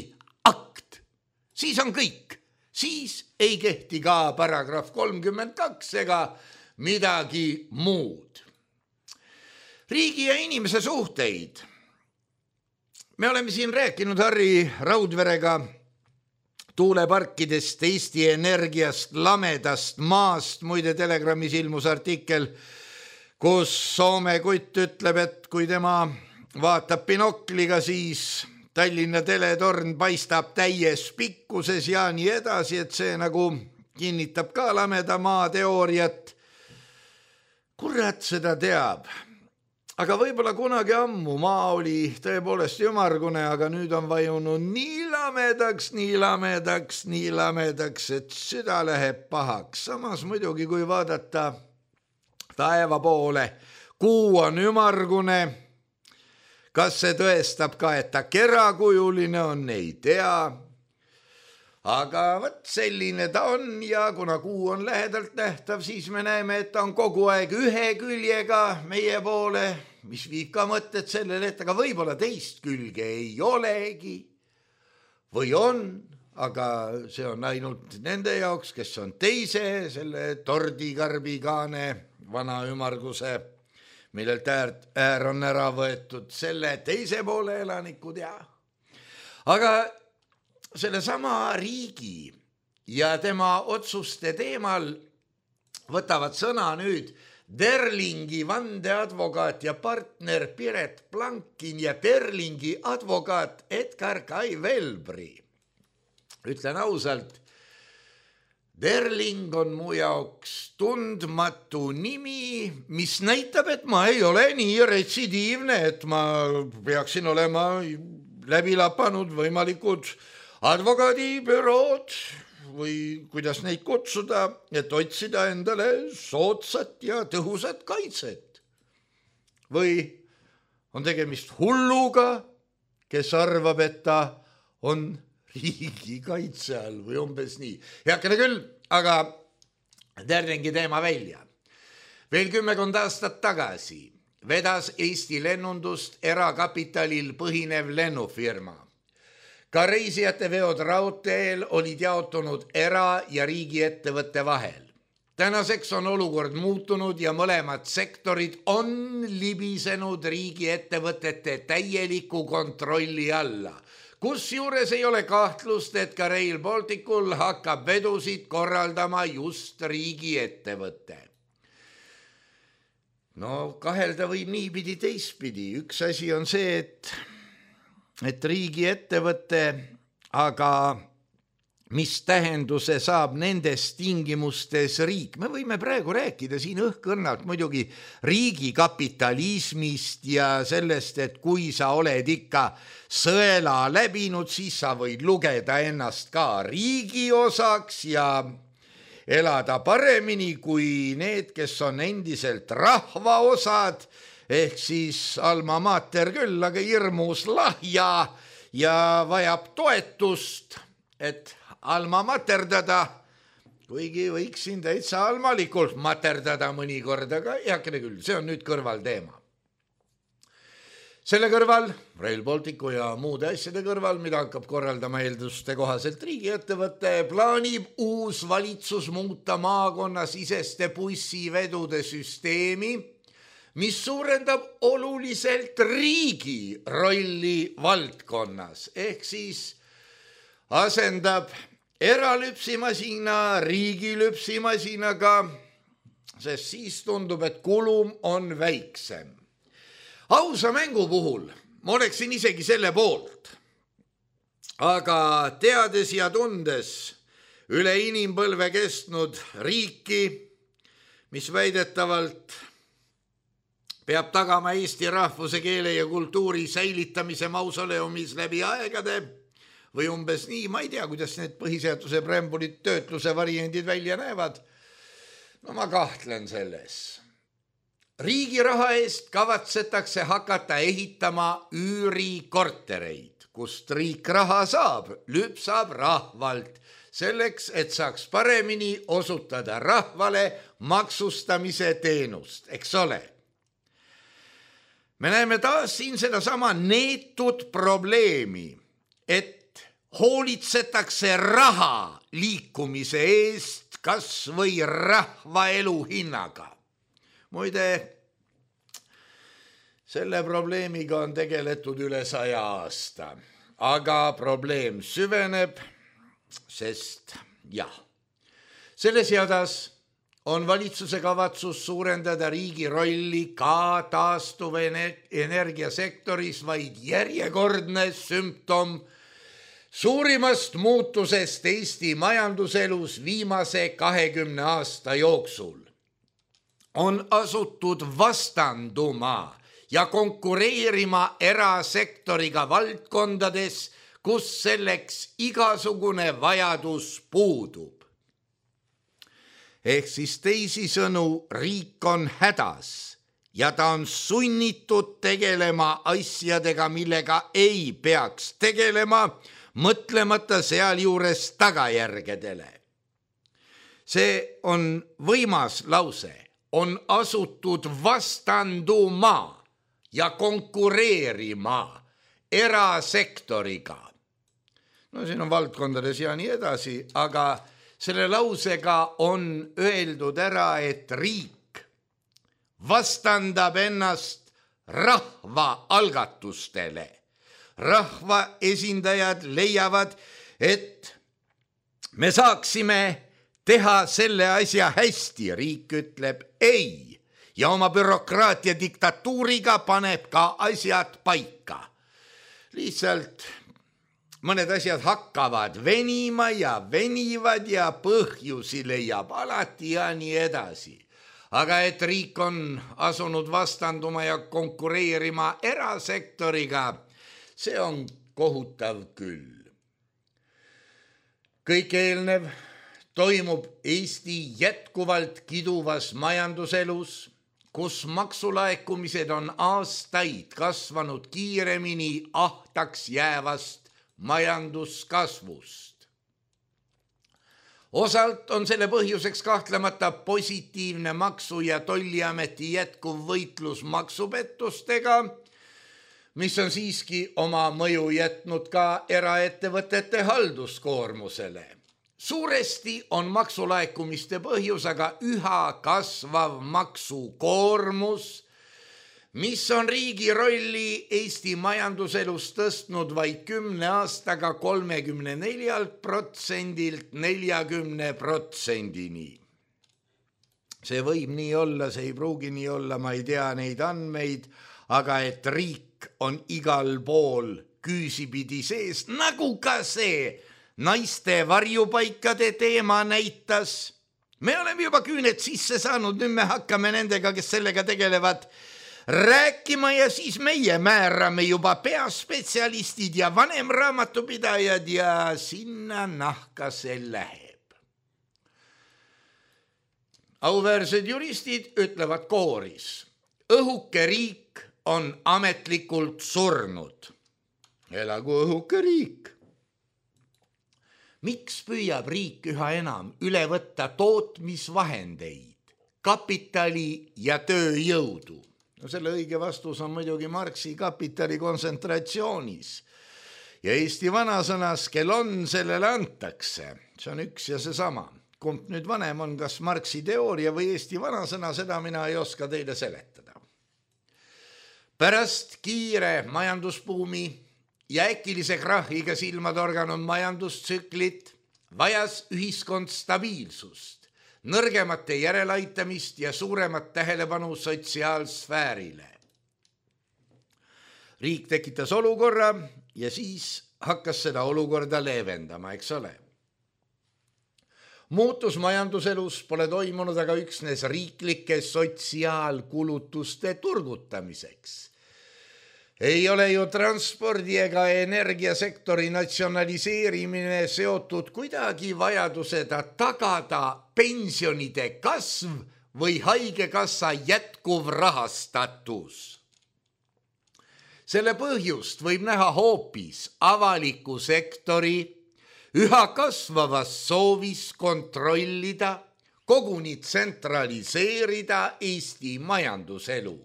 akt, siis on kõik. Siis ei kehti ka paragrahv kolmkümmend kaks ega midagi muud. Riigi ja inimese suhteid. Me oleme siin rääkinud Harri Raudverega tuuleparkidest, Eesti Energiast, lamedast maast. Muide Telegramis ilmus artikkel, kus Soome kutt ütleb, et kui tema vaatab binokliga, siis Tallinna teletorn paistab täies pikkuses ja nii edasi, et see nagu kinnitab ka lameda maa teooriat. Kurat seda teab. Aga võib-olla kunagi ammu maa oli tõepoolest ümargune, aga nüüd on vajunud nii lamedaks, nii lamedaks, nii lamedaks, et süda läheb pahaks. Samas muidugi, kui vaadata taeva poole, kuu on ümargune. Kas see tõestab ka, et ta kerakujuline on, ei tea. Aga võt selline ta on ja kuna kuu on lähedalt nähtav, siis me näeme, et ta on kogu aeg ühe küljega meie poole, mis viib ka mõtted sellele, et aga võib-olla teist külge ei olegi või on, aga see on ainult nende jaoks, kes on teise, selle tordikarbigaane vana ümarguse, millelt äär, äär on ära võetud, selle teise poole elanikud ja. Aga selle sama riigi ja tema otsuste teemal võtavad sõna nüüd Derlingi vandeadvokaat ja partner Piret Plankin ja Derlingi advokaat Edgar Kai Velbri. Ütlen ausalt, Derling on mu jaoks tundmatu nimi, mis näitab, et ma ei ole nii retsidiivne, et ma peaksin olema läbi lapanud võimalikud advokaadibürood või kuidas neid kutsuda, et otsida endale soodsat ja tõhusat kaitset. Või on tegemist hulluga, kes arvab, et ta on riigi kaitse all või umbes nii. Heakene küll, aga Derlingi teema välja. Veel kümmekond aastat tagasi vedas Eesti lennundust erakapitalil põhinev lennufirma. Ka reisijate veod raudteel olid jaotunud era- ja riigiettevõtte vahel. Tänaseks on olukord muutunud ja mõlemad sektorid on libisenud riigiettevõtete täieliku kontrolli alla. Kusjuures ei ole kahtlust, et ka Rail Balticul hakkab vedusid korraldama just riigiettevõte. No kahelda võib niipidi teistpidi. Üks asi on see, et et riigiettevõte, aga mis tähenduse saab nendes tingimustes riik? Me võime praegu rääkida siin õhkõrnalt muidugi riigikapitalismist ja sellest, et kui sa oled ikka sõela läbinud, siis sa võid lugeda ennast ka riigi osaks ja elada paremini kui need, kes on endiselt rahva osad, ehk siis alma mater küll, aga hirmus lahja ja vajab toetust, et alma materdada, kuigi võiksin täitsa almalikult materdada mõnikord, aga heakene küll, see on nüüd kõrvalteema. Selle kõrval, Rail Balticu ja muude asjade kõrval, mida hakkab korraldama eelduste kohaselt riigiettevõte, plaanib uus valitsus muuta maakonnasiseste bussivedude süsteemi, mis suurendab oluliselt riigi rolli valdkonnas, ehk siis asendab eralüpsimasina riigi lüpsimasinaga, sest siis tundub, et kulum on väiksem. Ausa mängu puhul ma oleksin isegi selle poolt, aga teades ja tundes üle inimpõlve kestnud riiki, mis väidetavalt peab tagama eesti rahvuse, keele ja kultuuri säilitamise mausoleumis läbi aegade või umbes nii, ma ei tea, kuidas need põhiseaduse preambulid töötluse variandid välja näevad. No ma kahtlen selles. Riigi raha eest kavatsetakse hakata ehitama üürikortereid, kust riik raha saab, lüpsab rahvalt, selleks, et saaks paremini osutada rahvale maksustamise teenust, eks ole. Me näeme taas siin sedasama neetud probleemi, et hoolitsetakse raha liikumise eest kas või rahva elu hinnaga. Muide, selle probleemiga on tegeletud üle saja aasta, aga probleem süveneb, sest jah, selles jadas on valitsuse kavatsus suurendada riigi rolli ka taastuvenergiasektoris vaid järjekordne sümptom suurimast muutusest Eesti majanduselus viimase kahekümne aasta jooksul. On asutud vastanduma ja konkureerima erasektoriga valdkondades, kus selleks igasugune vajadus puudub. Ehk siis teisisõnu, riik on hädas ja ta on sunnitud tegelema asjadega, millega ei peaks tegelema, mõtlemata sealjuures tagajärgedele. See on võimas lause, on asutud vastanduma ja konkureerima erasektoriga. No siin on valdkondades ja nii edasi, aga selle lausega on öeldud ära, et riik vastandab ennast rahva algatustele. Rahva esindajad leiavad, et me saaksime teha selle asja hästi. Riik ütleb ei ja oma bürokraatia diktatuuriga paneb ka asjad paika. Lihtsalt mõned asjad hakkavad venima ja venivad ja põhjusi leiab alati ja nii edasi. Aga et riik on asunud vastanduma ja konkureerima erasektoriga, see on kohutav küll. Kõik eelnev toimub Eesti jätkuvalt kiduvas majanduselus, kus maksulaekumised on aastaid kasvanud kiiremini ahtaks jäävast majanduskasvust. Osalt on selle põhjuseks kahtlemata positiivne maksu- ja tolliameti jätkuv võitlus maksupettustega, mis on siiski oma mõju jätnud ka eraettevõtete halduskoormusele. Suuresti on maksulaekumiste põhjus aga üha kasvav maksukoormus, mis on riigi rolli Eesti majanduselus tõstnud vaid kümne aastaga kolmekümne neljalt protsendilt neljakümne protsendini. See võib nii olla, see ei pruugi nii olla, ma ei tea neid andmeid, aga et riik on igal pool küüsipidi sees, nagu ka see naiste varjupaikade teema näitas. Me oleme juba küüned sisse saanud, nüüd me hakkame nendega, kes sellega tegelevad, rääkima ja siis meie määrame juba peaspetsialistid ja vanemraamatupidajad ja sinna nahka see läheb. Auväärsed juristid ütlevad kooris, õhuke riik on ametlikult surnud. Elagu õhuke riik. Miks püüab riik üha enam üle võtta tootmisvahendeid, kapitali ja tööjõudu? No selle õige vastus on muidugi Marxi kapitali kontsentratsioonis. Ja Eesti vanasõnas, kel on, sellele antakse. See on üks ja see sama. Kumb nüüd vanem on, kas Marxi teooria või Eesti vanasõna, seda mina ei oska teile seletada. Pärast kiire majandusbuumi ja äkilise krahhiga silmatorganud majandustsüklit vajas ühiskond stabiilsust, nõrgemate järelaitamist ja suuremat tähelepanu sotsiaalsfäärile. Riik tekitas olukorra ja siis hakkas seda olukorda leevendama, eks ole. Muutus majanduselus pole toimunud aga üksnes riiklike sotsiaalkulutuste turgutamiseks. Ei ole ju transpordi ega energiasektori natsionaliseerimine seotud kuidagi vajaduseda tagada pensionide kasv või haigekassa jätkuv rahastatus. Selle põhjust võib näha hoopis avaliku sektori üha kasvavas soovis kontrollida, koguni tsentraliseerida Eesti majanduselu.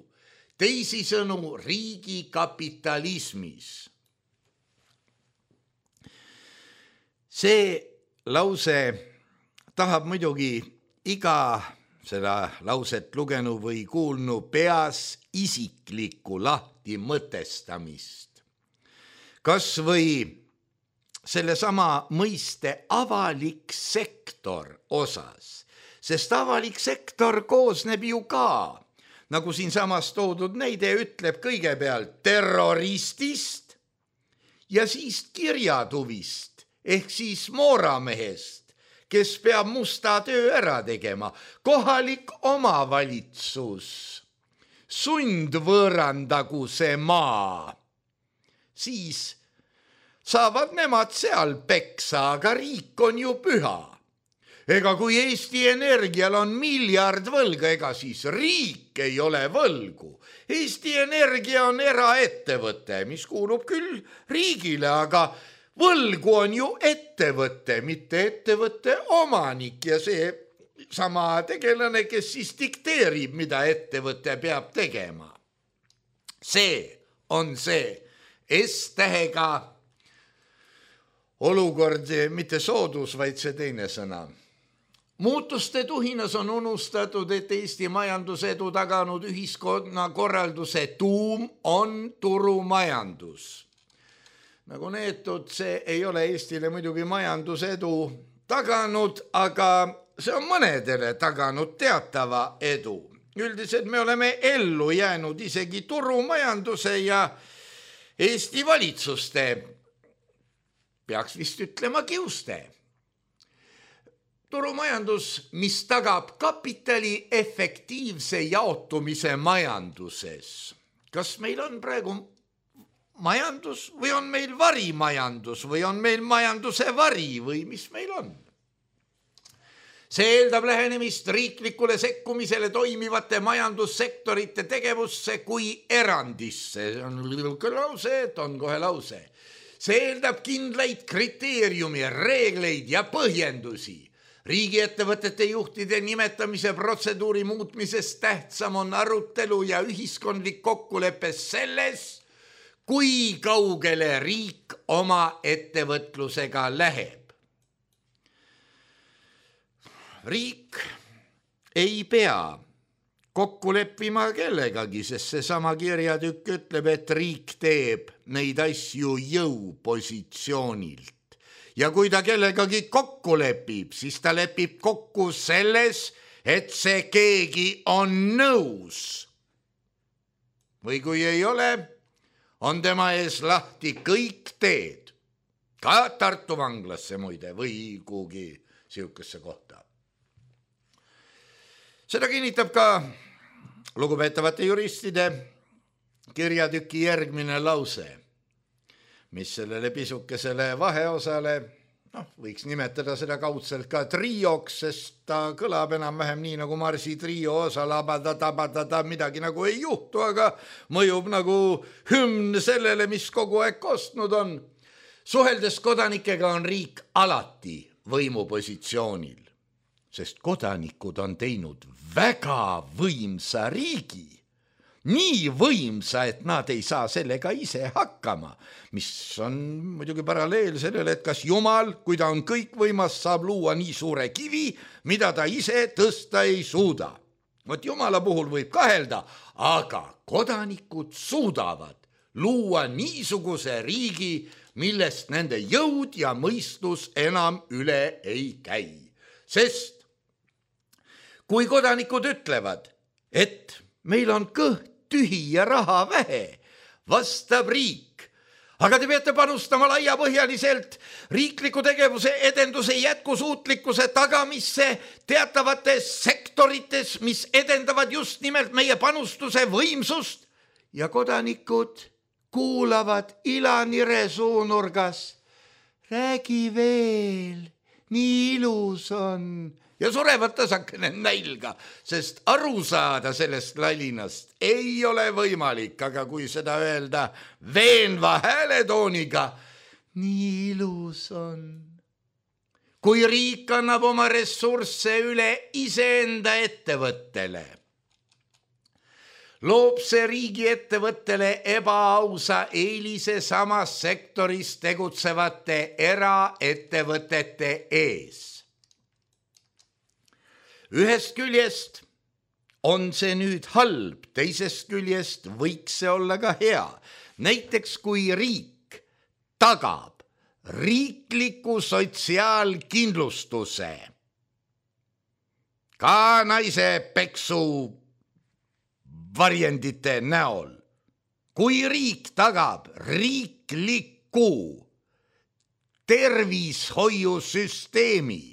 Teisisõnu riigi kapitalismis. See lause tahab muidugi iga seda lauset lugenu või kuulnu peas isiklikku lahti mõtestamist. Kas või selle sama mõiste avalik sektor osas, sest avalik sektor koosneb ju ka, nagu siin samas toodud näide ütleb, kõigepealt terroristist ja siis kirjatuvist ehk siis mooramehest, kes peab musta töö ära tegema, kohalik omavalitsus, sundvõõrandagu see maa, siis saavad nemad seal peksa, aga riik on ju püha. Ega kui Eesti Energial on miljard võlga, ega siis riik ei ole võlgu. Eesti Energia on eraettevõte, mis kuulub küll riigile, aga võlgu on ju ettevõte, mitte ettevõtte omanik ja see sama tegelane, kes siis dikteerib, mida ettevõte peab tegema. See on see S-tähega olukord, mitte soodus, vaid see teine sõna. Muutuste tuhinas on unustatud, et Eesti majandusedu taganud ühiskonna korralduse tuum on turumajandus. Nagu neetud, see ei ole Eestile muidugi majandusedu taganud, aga see on mõnedele taganud teatava edu. Üldiselt me oleme ellu jäänud isegi turumajanduse ja Eesti valitsuste, peaks vist ütlema kiuste. Turumajandus, mis tagab kapitali efektiivse jaotumise majanduses. Kas meil on praegu majandus või on meil varimajandus või on meil majanduse vari või mis meil on? See eeldab lähenemist riiklikule sekkumisele toimivate majandussektorite tegevusse kui erandisse. See on lühke lause, et on kohe lause. See eeldab kindlaid kriteeriumi, reegleid ja põhjendusi. Riigiettevõtete juhtide nimetamise protseduuri muutmisest tähtsam on arutelu ja ühiskondlik kokkulepe selles, kui kaugele riik oma ettevõtlusega läheb. Riik ei pea kokku leppima kellegagi, sest see sama kirjatükk ütleb, et riik teeb neid asju jõupositsioonilt. Ja kui ta kellegagi kokku lepib, siis ta lepib kokku selles, et see keegi on nõus. Või kui ei ole, on tema ees lahti kõik teed. Ka Tartu vanglasse muide või kuhugi siukesse kohta. Seda kinnitab ka lugupeetavate juristide kirjatüki järgmine lause, mis sellele pisukesele vaheosale, noh, võiks nimetada seda kaudselt ka trioks, sest ta kõlab enam-vähem nii nagu Marsi trio osa labada-tabada, midagi nagu ei juhtu, aga mõjub nagu hümn sellele, mis kogu aeg kostnud on. Suheldes kodanikega on riik alati võimupositsioonil, sest kodanikud on teinud väga võimsa riigi. Nii võimsa, et nad ei saa sellega ise hakkama, mis on muidugi paralleel sellele, et kas Jumal, kui ta on kõikvõimas, saab luua nii suure kivi, mida ta ise tõsta ei suuda. Vot Jumala puhul võib kahelda, aga kodanikud suudavad luua niisuguse riigi, millest nende jõud ja mõistus enam üle ei käi. Sest kui kodanikud ütlevad, et meil on kõht tühi ja raha vähe, vastab riik. Aga te peate panustama laiapõhjaliselt riikliku tegevuse edenduse jätkusuutlikkuse tagamisse teatavates sektorites, mis edendavad just nimelt meie panustuse võimsust ja kodanikud kuulavad ilanire suunurgas. Räägi veel, nii ilus on. Ja surevad tasakene nälga, sest aru saada sellest lalinast ei ole võimalik, aga kui seda öelda veenva hääletooniga, nii ilus on. Kui riik annab oma ressursse üle iseenda ettevõttele, loob see riigi ettevõttele ebaausa eelise samas sektoris tegutsevate eraettevõtete ees. Ühest küljest on see nüüd halb, teisest küljest võiks see olla ka hea. Näiteks kui riik tagab riikliku sotsiaalkindlustuse, ka naise peksu varjendite näol. Kui riik tagab riikliku tervishoiusüsteemi,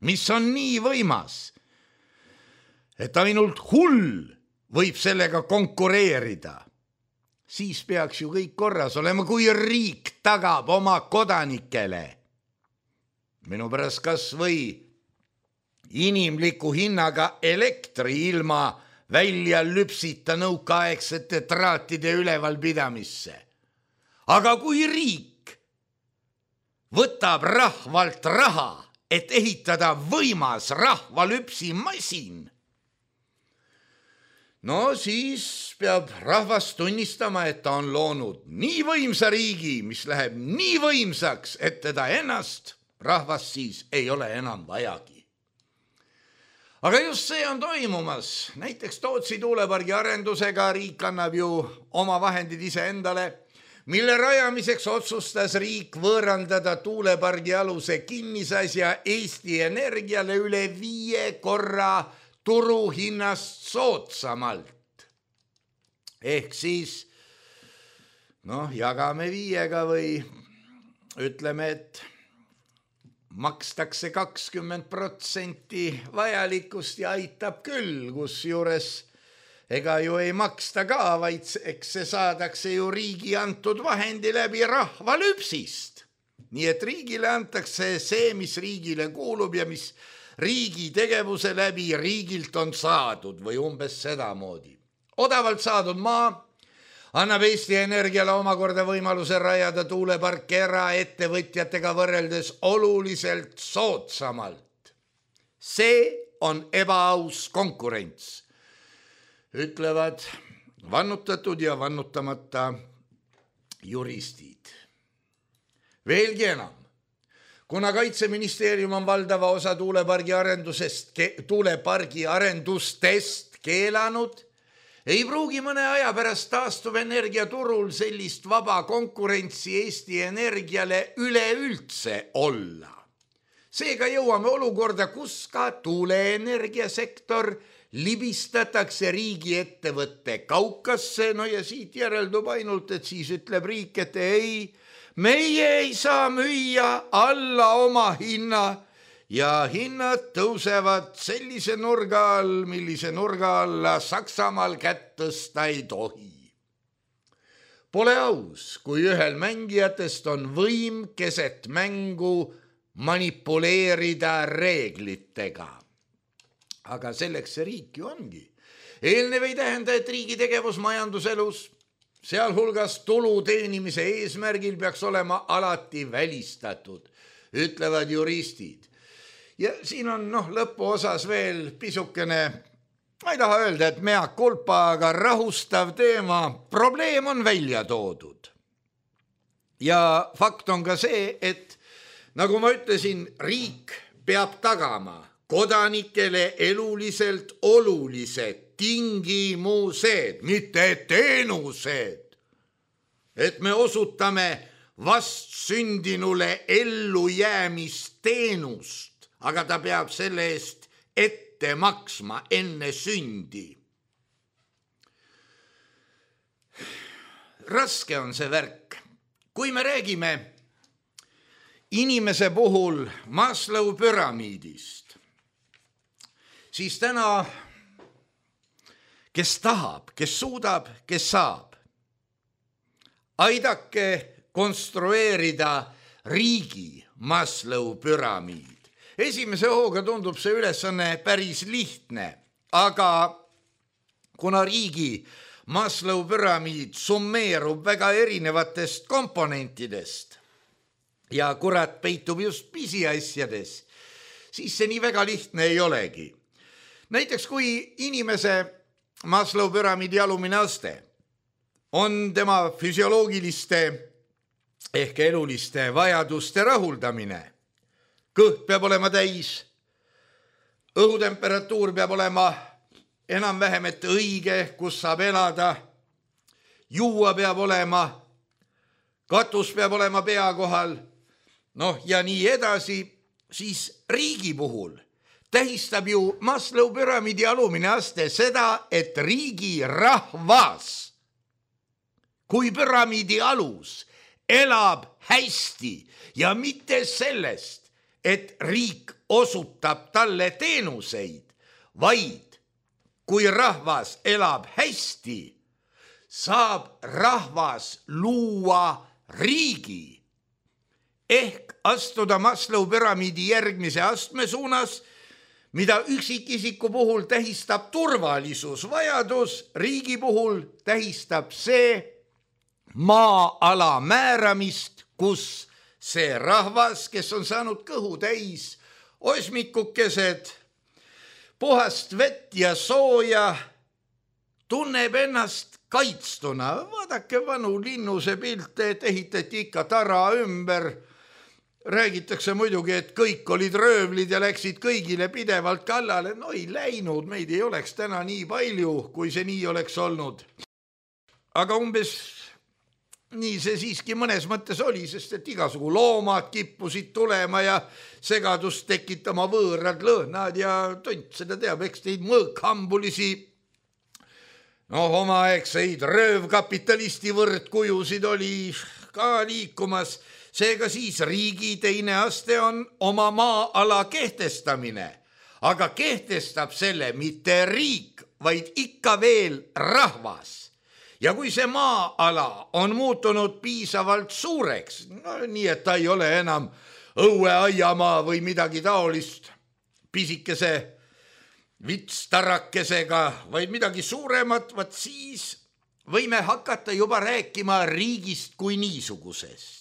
mis on nii võimas, et ainult hull võib sellega konkureerida, siis peaks ju kõik korras olema, kui riik tagab oma kodanikele. Minu pärast kas või inimliku hinnaga elektri ilma välja lüpsita nõukaaegsete traatide ülevalpidamisse. Aga kui riik võtab rahvalt raha, et ehitada võimas rahvalüpsimasin, no siis peab rahvas tunnistama, et ta on loonud nii võimsa riigi, mis läheb nii võimsaks, et teda ennast rahvas siis ei ole enam vajagi. Aga just see on toimumas. Näiteks Tootsi tuulepargi arendusega riik annab ju oma vahendid ise endale, mille rajamiseks otsustas riik võõrandada tuulepargi aluse kinnisasja Eesti Energiale üle viie korra turuhinnast soodsamalt. Ehk siis, noh, jagame viiega või ütleme, et makstakse kakskümmend protsenti vajalikust ja aitab küll, kus juures ega ju ei maksta ka, vaid eks see saadakse ju riigi antud vahendi läbi rahvalüpsist. Nii et riigile antakse see, mis riigile kuulub ja mis riigi tegevuse läbi riigilt on saadud või umbes sedamoodi. Odavalt saadud maa annab Eesti Energiale omakorda võimaluse rajada tuuleparki eraettevõtjatega võrreldes oluliselt soodsamalt. See on ebaaus konkurents, ütlevad vannutatud ja vannutamata juristid. Veelgi enam, kuna Kaitseministeerium on valdava osa tuulepargi arendusest, tuulepargi arendustest keelanud, ei pruugi mõne aja pärast taastuvenergia turul sellist vaba konkurentsi Eesti Energiale üleüldse olla. Seega jõuame olukorda, kus ka tuuleenergiasektor libistatakse riigi ettevõtte kaukasse, no ja siit järeldub ainult, et siis ütleb riik, et ei, meie ei saa müüa alla oma hinna, ja hinnad tõusevad sellise nurga all, millise nurga alla Saksamaal kätt tõsta ei tohi. Pole aus, kui ühel mängijatest on võim keset mängu manipuleerida reeglitega. Aga selleks see riik ju ongi. Eelnev ei tähenda, et riigi tegevus majanduselus, sealhulgas tulu teenimise eesmärgil peaks olema alati välistatud, ütlevad juristid. Ja siin on noh, lõpuosas veel pisukene, ma ei taha öelda, et mea culpa, aga rahustav teema, probleem on välja toodud. Ja fakt on ka see, et nagu ma ütlesin, riik peab tagama kodanikele eluliselt olulised tingimused, mitte teenused, et me osutame vastsündinule ellujäämisteenust, aga ta peab selle eest ette maksma enne sündi. Raske on see värk. Kui me räägime inimese puhul Maslow püramiidist, siis täna, kes tahab, kes suudab, kes saab, aidake konstrueerida riigi Maslow püramiid. Esimese hooga tundub see ülesanne päris lihtne, aga kuna riigi Maslow püramiid summeerub väga erinevatest komponentidest ja kurat peitub just pisiasjades, siis see nii väga lihtne ei olegi. Näiteks kui inimese Maslow püramiidi alumine aste on tema füsioloogiliste ehk eluliste vajaduste rahuldamine, kõht peab olema täis, õhutemperatuur peab olema enam-vähem et õige, kus saab elada, juua peab olema, katus peab olema pea kohal, noh ja nii edasi, siis riigi puhul tähistab ju Maslow püramiidi alumine aste seda, et riigi rahvas kui püramiidi alus elab hästi ja mitte sellest, et riik osutab talle teenuseid, vaid kui rahvas elab hästi, saab rahvas luua riigi ehk astuda Maslow püramiidi järgmise astme suunas, mida üksikisiku puhul tähistab turvalisusvajadus, riigi puhul tähistab see maa-ala määramist, kus see rahvas, kes on saanud kõhu täis osmikukesed, puhast vett ja sooja, tunneb ennast kaitstuna. Vaadake vanu linnuse pilte, et ehitati ikka tara ümber. Räägitakse muidugi, et kõik olid röövlid ja läksid kõigile pidevalt kallale. No ei läinud, meid ei oleks täna nii palju, kui see nii oleks olnud. Aga umbes nii see siiski mõnes mõttes oli, sest et igasugu loomad kippusid tulema ja segadust tekitama võõrad lõhnad ja tont seda teab, eks teid mõõkhambulisi, no omaaegseid röövkapitalisti võrdkujusid oli ka liikumas. Seega siis riigi teine aste on oma maa-ala kehtestamine, aga kehtestab selle mitte riik, vaid ikka veel rahvas. Ja kui see maa-ala on muutunud piisavalt suureks, no, nii et ta ei ole enam õueaiamaa või midagi taolist pisikese vitstarakesega, vaid midagi suuremat, vaat siis võime hakata juba rääkima riigist kui niisugusest.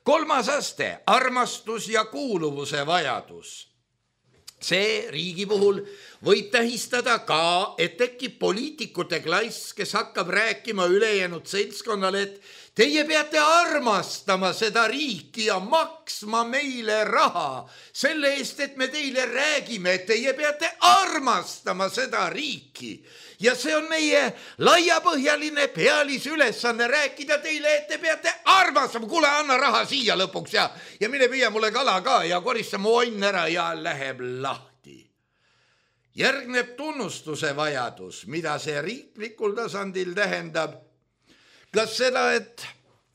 Kolmas aste, armastus ja kuuluvuse vajadus. See riigi puhul võib tähistada ka, et tekib poliitikute klass, kes hakkab rääkima ülejäänud seltskonnale, et teie peate armastama seda riiki ja maksma meile raha selle eest, et me teile räägime, et teie peate armastama seda riiki. Ja see on meie laiapõhjaline pealisülesanne rääkida teile, et te peate armastama. Kuule, anna raha siia lõpuks ja, ja mine püüa mulle kala ka ja korista mu onn ära ja läheb lahti. Järgneb tunnustuse vajadus, mida see riiklikul tasandil tähendab. Kas seda, et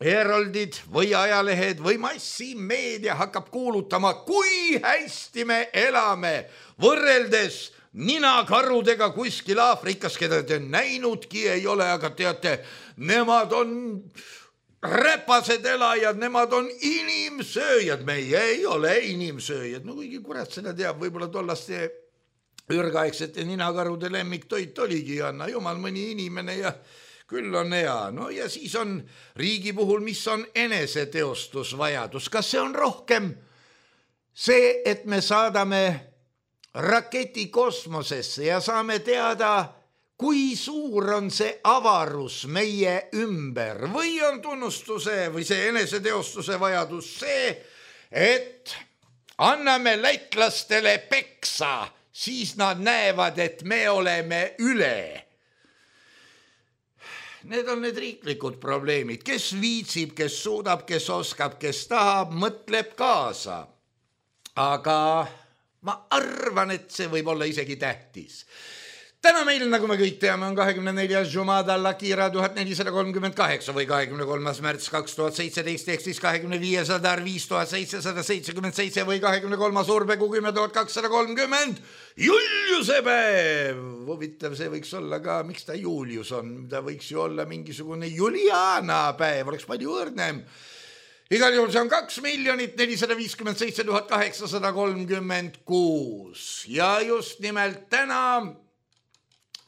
Heroldid või ajalehed või massimeedia hakkab kuulutama, kui hästi me elame võrreldes ninakarudega kuskil Aafrikas, keda te näinudki ei ole, aga teate, nemad on räpased elajad, nemad on inimsööjad, meie ei ole inimsööjad. No kuigi kurat seda teab, võib-olla tollaste ürgaegsete ninakarude lemmiktoit oligi, anna jumal mõni inimene ja küll on hea. No ja siis on riigi puhul, mis on eneseteostusvajadus. Kas see on rohkem see, et me saadame raketi kosmosesse ja saame teada, kui suur on see avarus meie ümber, või on tunnustuse või see eneseteostuse vajadus see, et anname lätlastele peksa, siis nad näevad, et me oleme üle. Need on need riiklikud probleemid, kes viitsib, kes suudab, kes oskab, kes tahab, mõtleb kaasa. Aga ma arvan, et see võib olla isegi tähtis. Täna meil, nagu me kõik teame, on kahekümne neljas Jumada Lakira tuhat nelisada kolmkümmend kaheksa või kahekümne kolmas märts kaks tuhat seitseteist ehk siis kahekümne viies Adar viis tuhat seitsesada seitsekümmend seitse või kahekümne kolmas Urbegu kümme tuhat kakssada kolmkümmend Juliuse päev. Huvitav, see võiks olla ka, miks ta Julius on, ta võiks ju olla mingisugune Juliana päev, oleks palju õrnem. Igal juhul see on kaks miljonit nelisada viiskümmend seitse tuhat kaheksasada kolmkümmend kuus ja just nimelt täna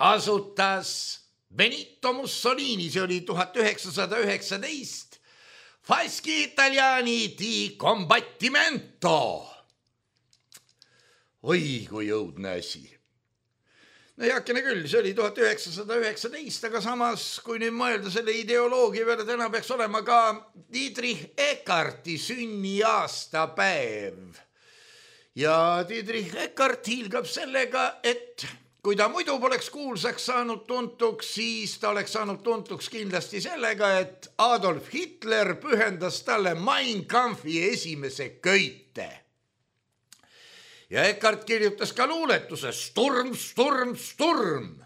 asutas Benito Mussolini, see oli tuhat üheksasada üheksateist, Fasci Italiani di Combattimento. Oi, kui õudne asi. No heakene küll, see oli tuhat üheksasada üheksateist, aga samas, kui nüüd mõelda selle ideoloogia peale, täna peaks olema ka Dietrich Eckarti sünniaastapäev. Ja Dietrich Eckart hiilgab sellega, et kui ta muidu poleks kuulsaks saanud tuntuks, siis ta oleks saanud tuntuks kindlasti sellega, et Adolf Hitler pühendas talle Mein Kampfi esimese köite. Ja Eckart kirjutas ka luuletuse Sturm, Sturm, Sturm.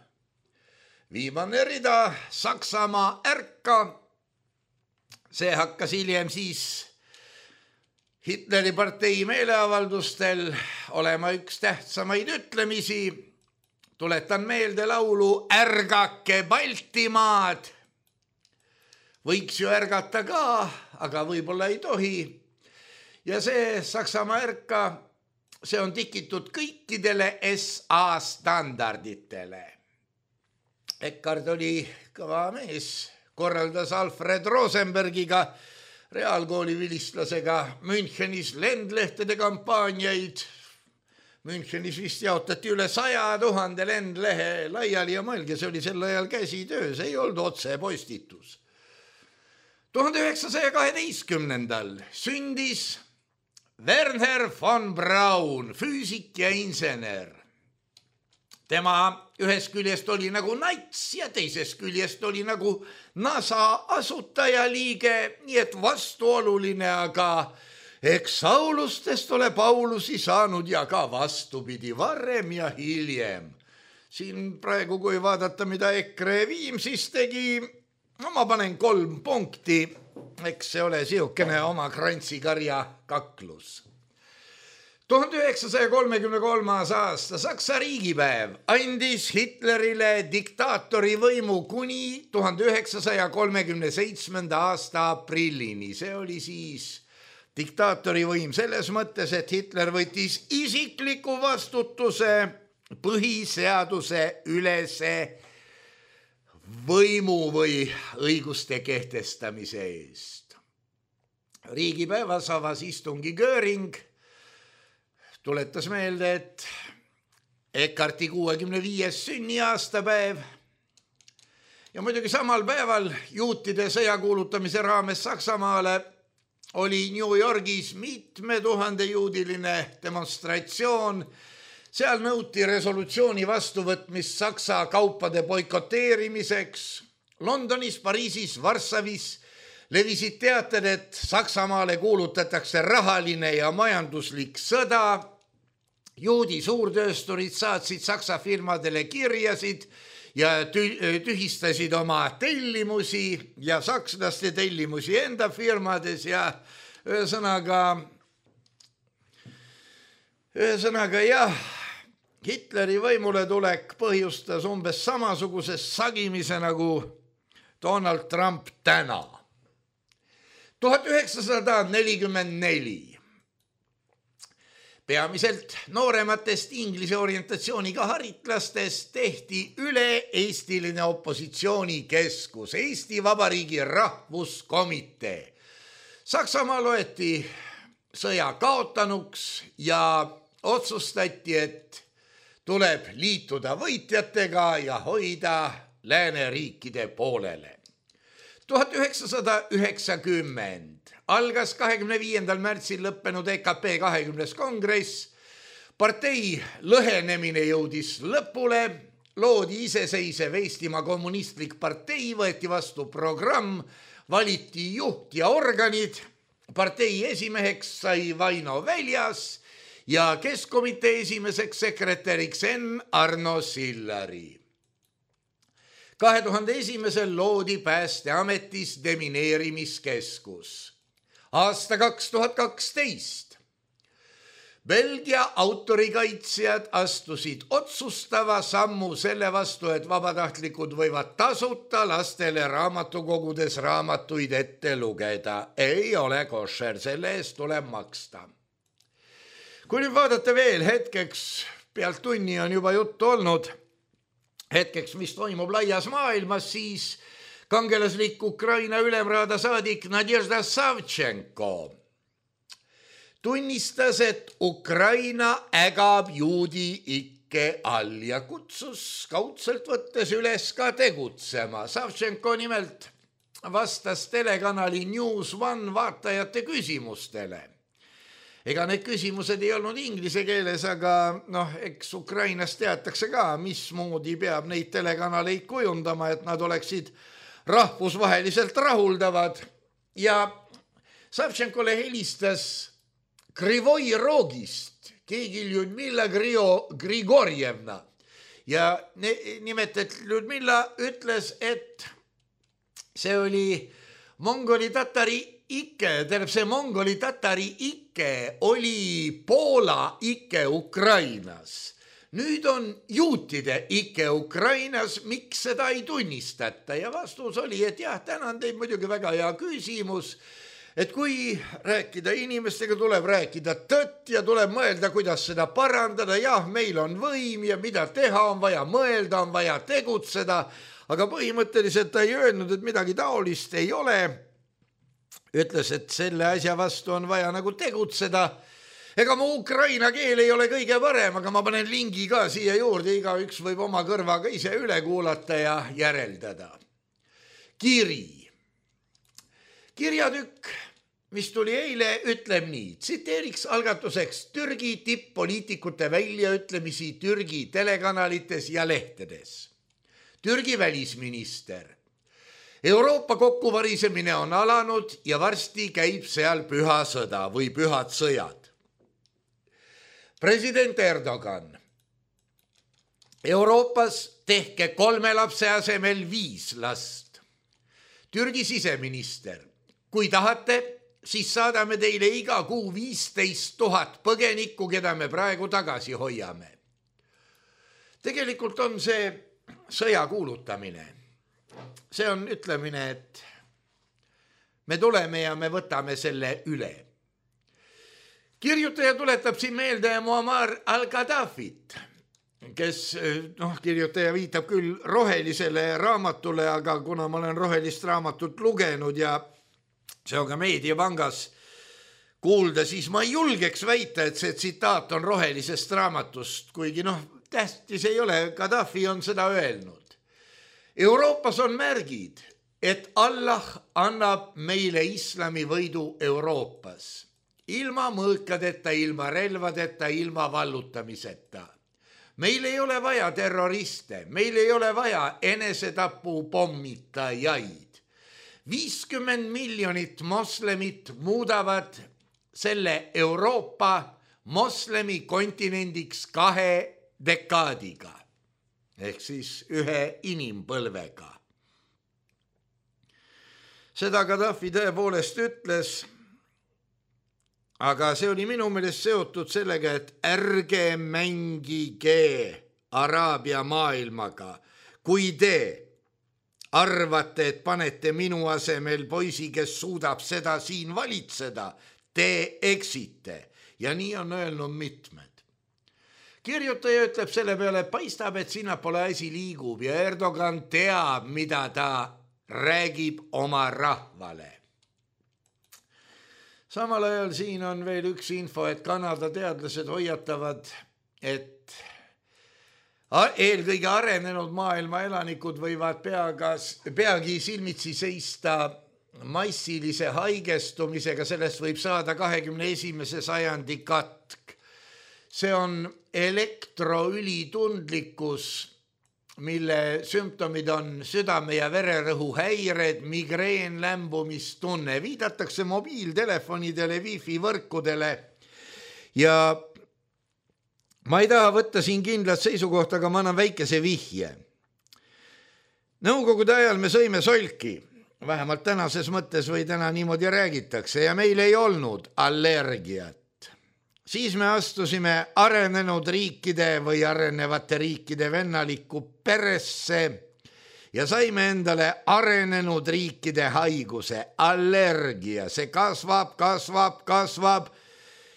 Viimane rida Saksamaa ärka. See hakkas hiljem siis Hitleri partei meeleavaldustel olema üks tähtsamaid ütlemisi. Tuletan meelde laulu Ärgake Baltimaad. Võiks ju ärgata ka, aga võib-olla ei tohi. Ja see Saksamaa ärka, see on tikitud kõikidele S A standarditele. Eckart oli kõva mees, korraldas Alfred Rosenbergiga, reaalkooli vilistlasega Münchenis lendlehtede kampaaniaid. Münchenis vist jaotati üle saja tuhande lendlehe laiali ja mõelge, see oli sel ajal käsitöö, see ei olnud otse postitus. tuhande üheksasaja kaheteistkümnendal sündis Werner von Braun, füüsik ja insener. Tema ühest küljest oli nagu nats ja teisest küljest oli nagu NASA asutajaliige, nii et vastuoluline, aga eks Saulustest ole Paulusi saanud ja ka vastupidi varem ja hiljem. Siin praegu, kui vaadata, mida EKRE Viimsis tegi, no ma panen kolm punkti, eks see ole siukene oma krantsikarja kaklus. tuhande üheksasaja kolmekümne kolmas aasta Saksa riigipäev andis Hitlerile diktaatori võimu kuni tuhande üheksasaja kolmekümne seitsmenda aasta aprillini. See oli siis diktaatori võim selles mõttes, et Hitler võttis isikliku vastutuse põhiseaduse ülese võimu või õiguste kehtestamise eest. Riigipäevas avas istungi Göring, tuletas meelde, et Eckarti kuuekümne viies sünniaastapäev ja muidugi samal päeval juutide sõja kuulutamise raames Saksamaale oli New Yorgis mitme tuhande juudiline demonstratsioon. Seal nõuti resolutsiooni vastuvõtmist Saksa kaupade boikoteerimiseks. Londonis, Pariisis, Varssavis levisid teated, et Saksamaale kuulutatakse rahaline ja majanduslik sõda. Juudi suurtöösturid saatsid Saksa firmadele kirjasid ja tühistasid oma tellimusi ja sakslaste tellimusi enda firmades ja ühesõnaga, ühesõnaga jah, Hitleri võimule tulek põhjustas umbes samasuguse sagimise nagu Donald Trump täna. tuhat üheksasada nelikümmend neli. Peamiselt noorematest inglise orientatsiooniga haritlastest tehti üle-eestiline opositsioonikeskus, Eesti Vabariigi Rahvuskomitee. Saksamaa loeti sõja kaotanuks ja otsustati, et tuleb liituda võitjatega ja hoida lääneriikide poolele. tuhat üheksasada üheksakümmend algas kahekümne viiendal märtsil lõppenud E K P kahekümnes kongress. Partei lõhenemine jõudis lõpule, loodi iseseisev Eestimaa kommunistlik partei, võeti vastu programm, valiti juht ja organid. Partei esimeheks sai Vaino Väljas ja keskkomitee esimeseks sekretäriks N. Arno Sillari. kahe tuhande esimesel loodi Päästeametis demineerimiskeskus. Aasta kaks tuhat kaksteist. Belgia autorikaitsjad astusid otsustava sammu selle vastu, et vabatahtlikud võivad tasuta lastele raamatukogudes raamatuid ette lugeda. Ei ole košer, selle eest tuleb maksta. Kui nüüd vaadata veel hetkeks, pealt tunni on juba juttu olnud, hetkeks, mis toimub laias maailmas, siis kangelaslik Ukraina ülemraada saadik Nadježda Savtšenko tunnistas, et Ukraina ägab juudi ikke all ja kutsus kaudselt võttes üles ka tegutsema. Savtšenko nimelt vastas telekanali News One vaatajate küsimustele, ega need küsimused ei olnud inglise keeles, aga noh, eks Ukrainas teatakse ka, mismoodi peab neid telekanaleid kujundama, et nad oleksid rahvusvaheliselt rahuldavad. Ja Savtšenkole helistas Krivoi Rogist keegi Ljudmilla Grigorjevna ja nimetati Ljudmilla ütles, et see oli mongoli tatari ikke, tähendab see mongoli tatari ikke oli Poola ikke Ukrainas. Nüüd on juutide ikke Ukrainas, miks seda ei tunnistata? Ja vastus oli, et jah, tänan teid muidugi väga hea küsimus, et kui rääkida inimestega, tuleb rääkida tõtt ja tuleb mõelda, kuidas seda parandada. Jah, meil on võim ja mida teha, on vaja mõelda, on vaja tegutseda, aga põhimõtteliselt ta ei öelnud, et midagi taolist ei ole. Ütles, et selle asja vastu on vaja nagu tegutseda. Ega mu ukraina keel ei ole kõige parem, aga ma panen lingi ka siia juurde, iga üks võib oma kõrvaga ise üle kuulata ja järeldada. Kiri. Kirjatükk, mis tuli eile, ütleb nii. Tsiteeriks algatuseks Türgi tipp-poliitikute väljaütlemisi Türgi telekanalites ja lehtedes. Türgi välisminister. Euroopa kokkuvarisemine on alanud ja varsti käib seal püha sõda või pühad sõjad. President Erdogan. Euroopas tehke kolme lapse asemel viis last. Türgi siseminister. Kui tahate, siis saadame teile iga kuu viisteist tuhat põgenikku, keda me praegu tagasi hoiame. Tegelikult on see sõja kuulutamine. See on ütlemine, et me tuleme ja me võtame selle üle. Kirjutaja tuletab siin meelde Muammar al-Gaddafit, kes, noh, kirjutaja viitab küll rohelisele raamatule, aga kuna ma olen rohelist raamatut lugenud ja see on ka Meediapangas kuulda, siis ma ei julgeks väita, et see tsitaat on rohelisest raamatust, kuigi noh, tähtis ei ole, Gaddafi on seda öelnud. Euroopas on märgid, et Allah annab meile islami võidu Euroopas. Ilma mõõkadeta, ilma relvadeta, ilma vallutamiseta. Meil ei ole vaja terroriste, meil ei ole vaja enesetapu pommitajaid. viiskümmend miljonit moslemit muudavad selle Euroopa moslemi kontinendiks kahe dekaadiga, ehk siis ühe inimpõlvega. Seda Gaddafi tõepoolest ütles, aga see oli minu meelest seotud sellega, et ärge mängige Araabia maailmaga. Kui te arvate, et panete minu asemel poisi, kes suudab seda siin valitseda, te eksite. Ja nii on öelnud mitmed. Kirjutaja ütleb selle peale, et paistab, et sinna pole asi liigub ja Erdogan teab, mida ta räägib oma rahvale. Samal ajal siin on veel üks info, et Kanada teadlased hoiatavad, et eelkõige arenenud maailma elanikud võivad peagas, peagi silmitsi seista massilise haigestumisega, sellest võib saada kahekümne esimese sajandi katk. See on elektroülitundlikkus, mille sümptomid on südame- ja vererõhu häired, migreen, lämbumistunne. Viidatakse mobiiltelefonidele, wifi võrkudele ja ma ei taha võtta siin kindlat seisukohta, aga ma annan väikese vihje. Nõukogude ajal me sõime solki, vähemalt tänases mõttes või täna niimoodi räägitakse ja meil ei olnud allergiat. Siis me astusime arenenud riikide või arenevate riikide vennalikku peresse ja saime endale arenenud riikide haiguse, allergia. See kasvab, kasvab, kasvab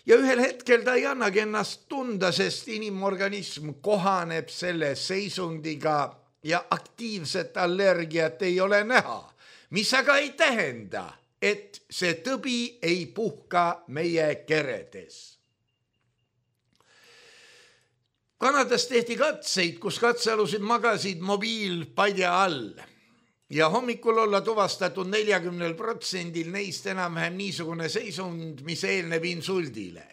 ja ühel hetkel ta ei annagi ennast tunda, sest inimorganism kohaneb selle seisundiga ja aktiivset allergiat ei ole näha, mis aga ei tähenda, et see tõbi ei puhka meie keredes. Kanadas tehti katseid, kus katsealusid magasid mobiilpadja all ja hommikul olla tuvastatud neljakümnel protsendil neist enam-vähem niisugune seisund, mis eelneb insuldile.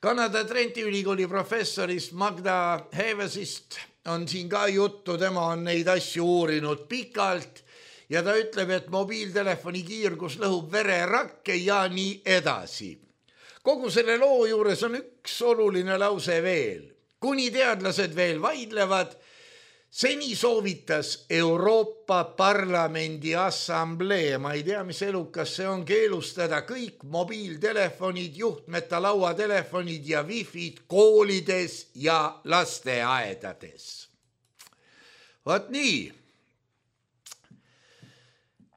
Kanada Trenti ülikooli professorist Magda Hevesist on siin ka juttu, tema on neid asju uurinud pikalt ja ta ütleb, et mobiiltelefoni kiirgus lõhub vererakke ja nii edasi. Kogu selle loo juures on üks oluline lause veel. Kuni teadlased veel vaidlevad, seni soovitas Euroopa Parlamendi assamblee, ma ei tea, mis elukas see on, keelustada kõik mobiiltelefonid, juhtmeta lauatelefonid ja wifi'd koolides ja lasteaedades. Vaat nii,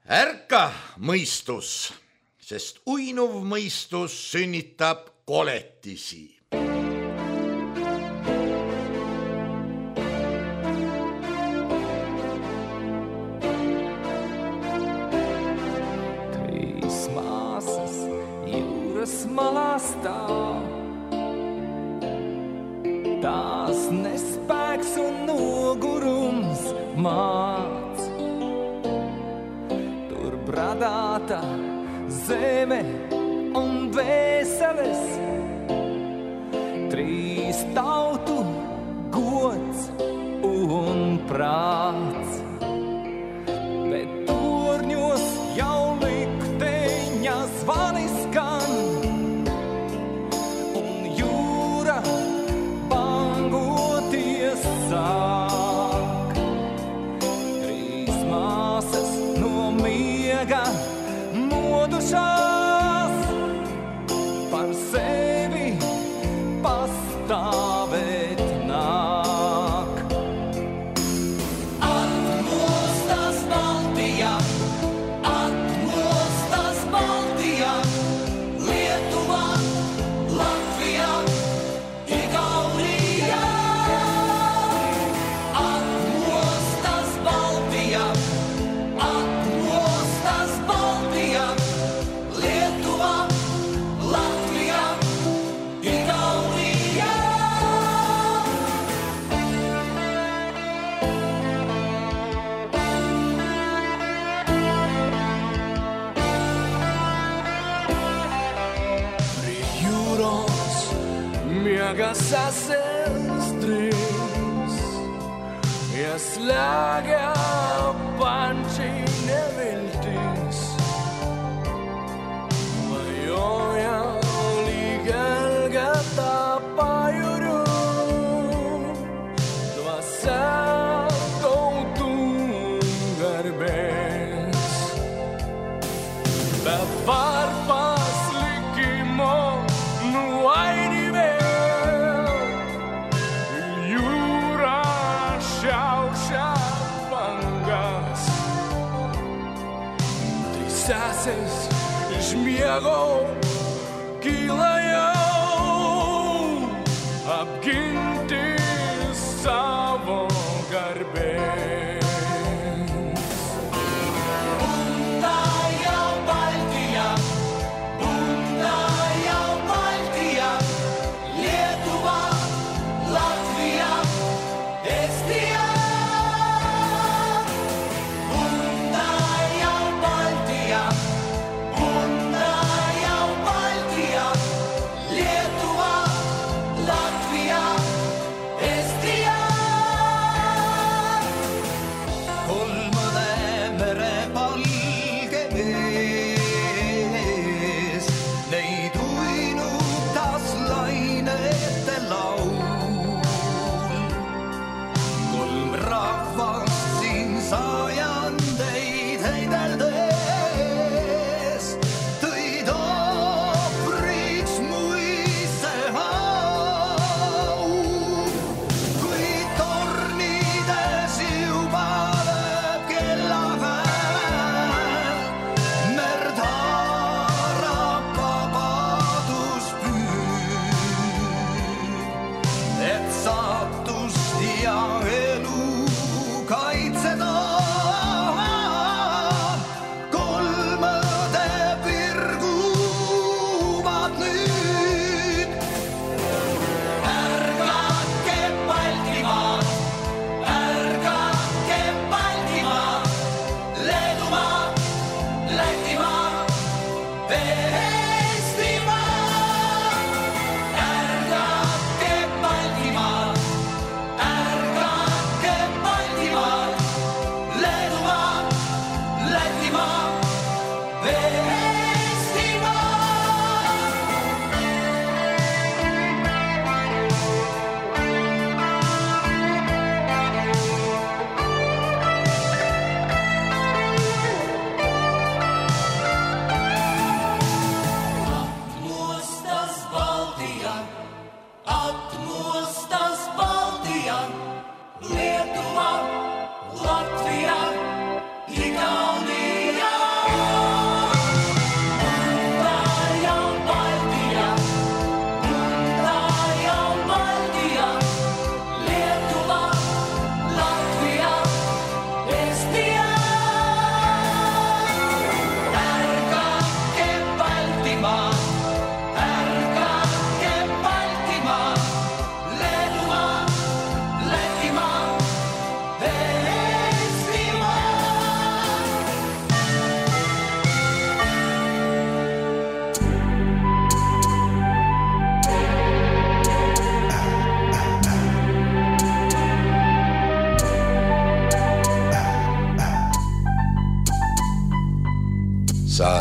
ärka mõistus, sest uinuv mõistus sünnitab koletisi. Malastaa. Tās nespēks un nogurums māc. Tur bradāta zeme un vēseles. Trīs tautu gods un prāts. Bet torņos jau likteņa zvani skan. Sāk. Trīs māsas no miega modušās, par sevi pastāvēt nāk. Atmostas Baltijā, atmostas Baltijā, Lietuvā, Latvijā, Igaurijā. Sasestris, ja slāgā panči neviltis, vajoja līgelgatā pajuru, dvasā tautu garbēs, bet varpas likimo nu aini vēl. Sāses žmiego kilajau apginti savo garbės. Bunda jau Baltija, bunda jau Baltija, Lietuva, Latvija, Estija.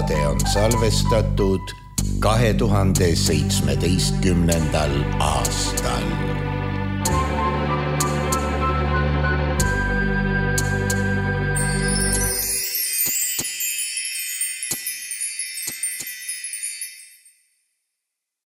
saade on salvestatud kahe tuhande seitsmeteistkümnendal aastal.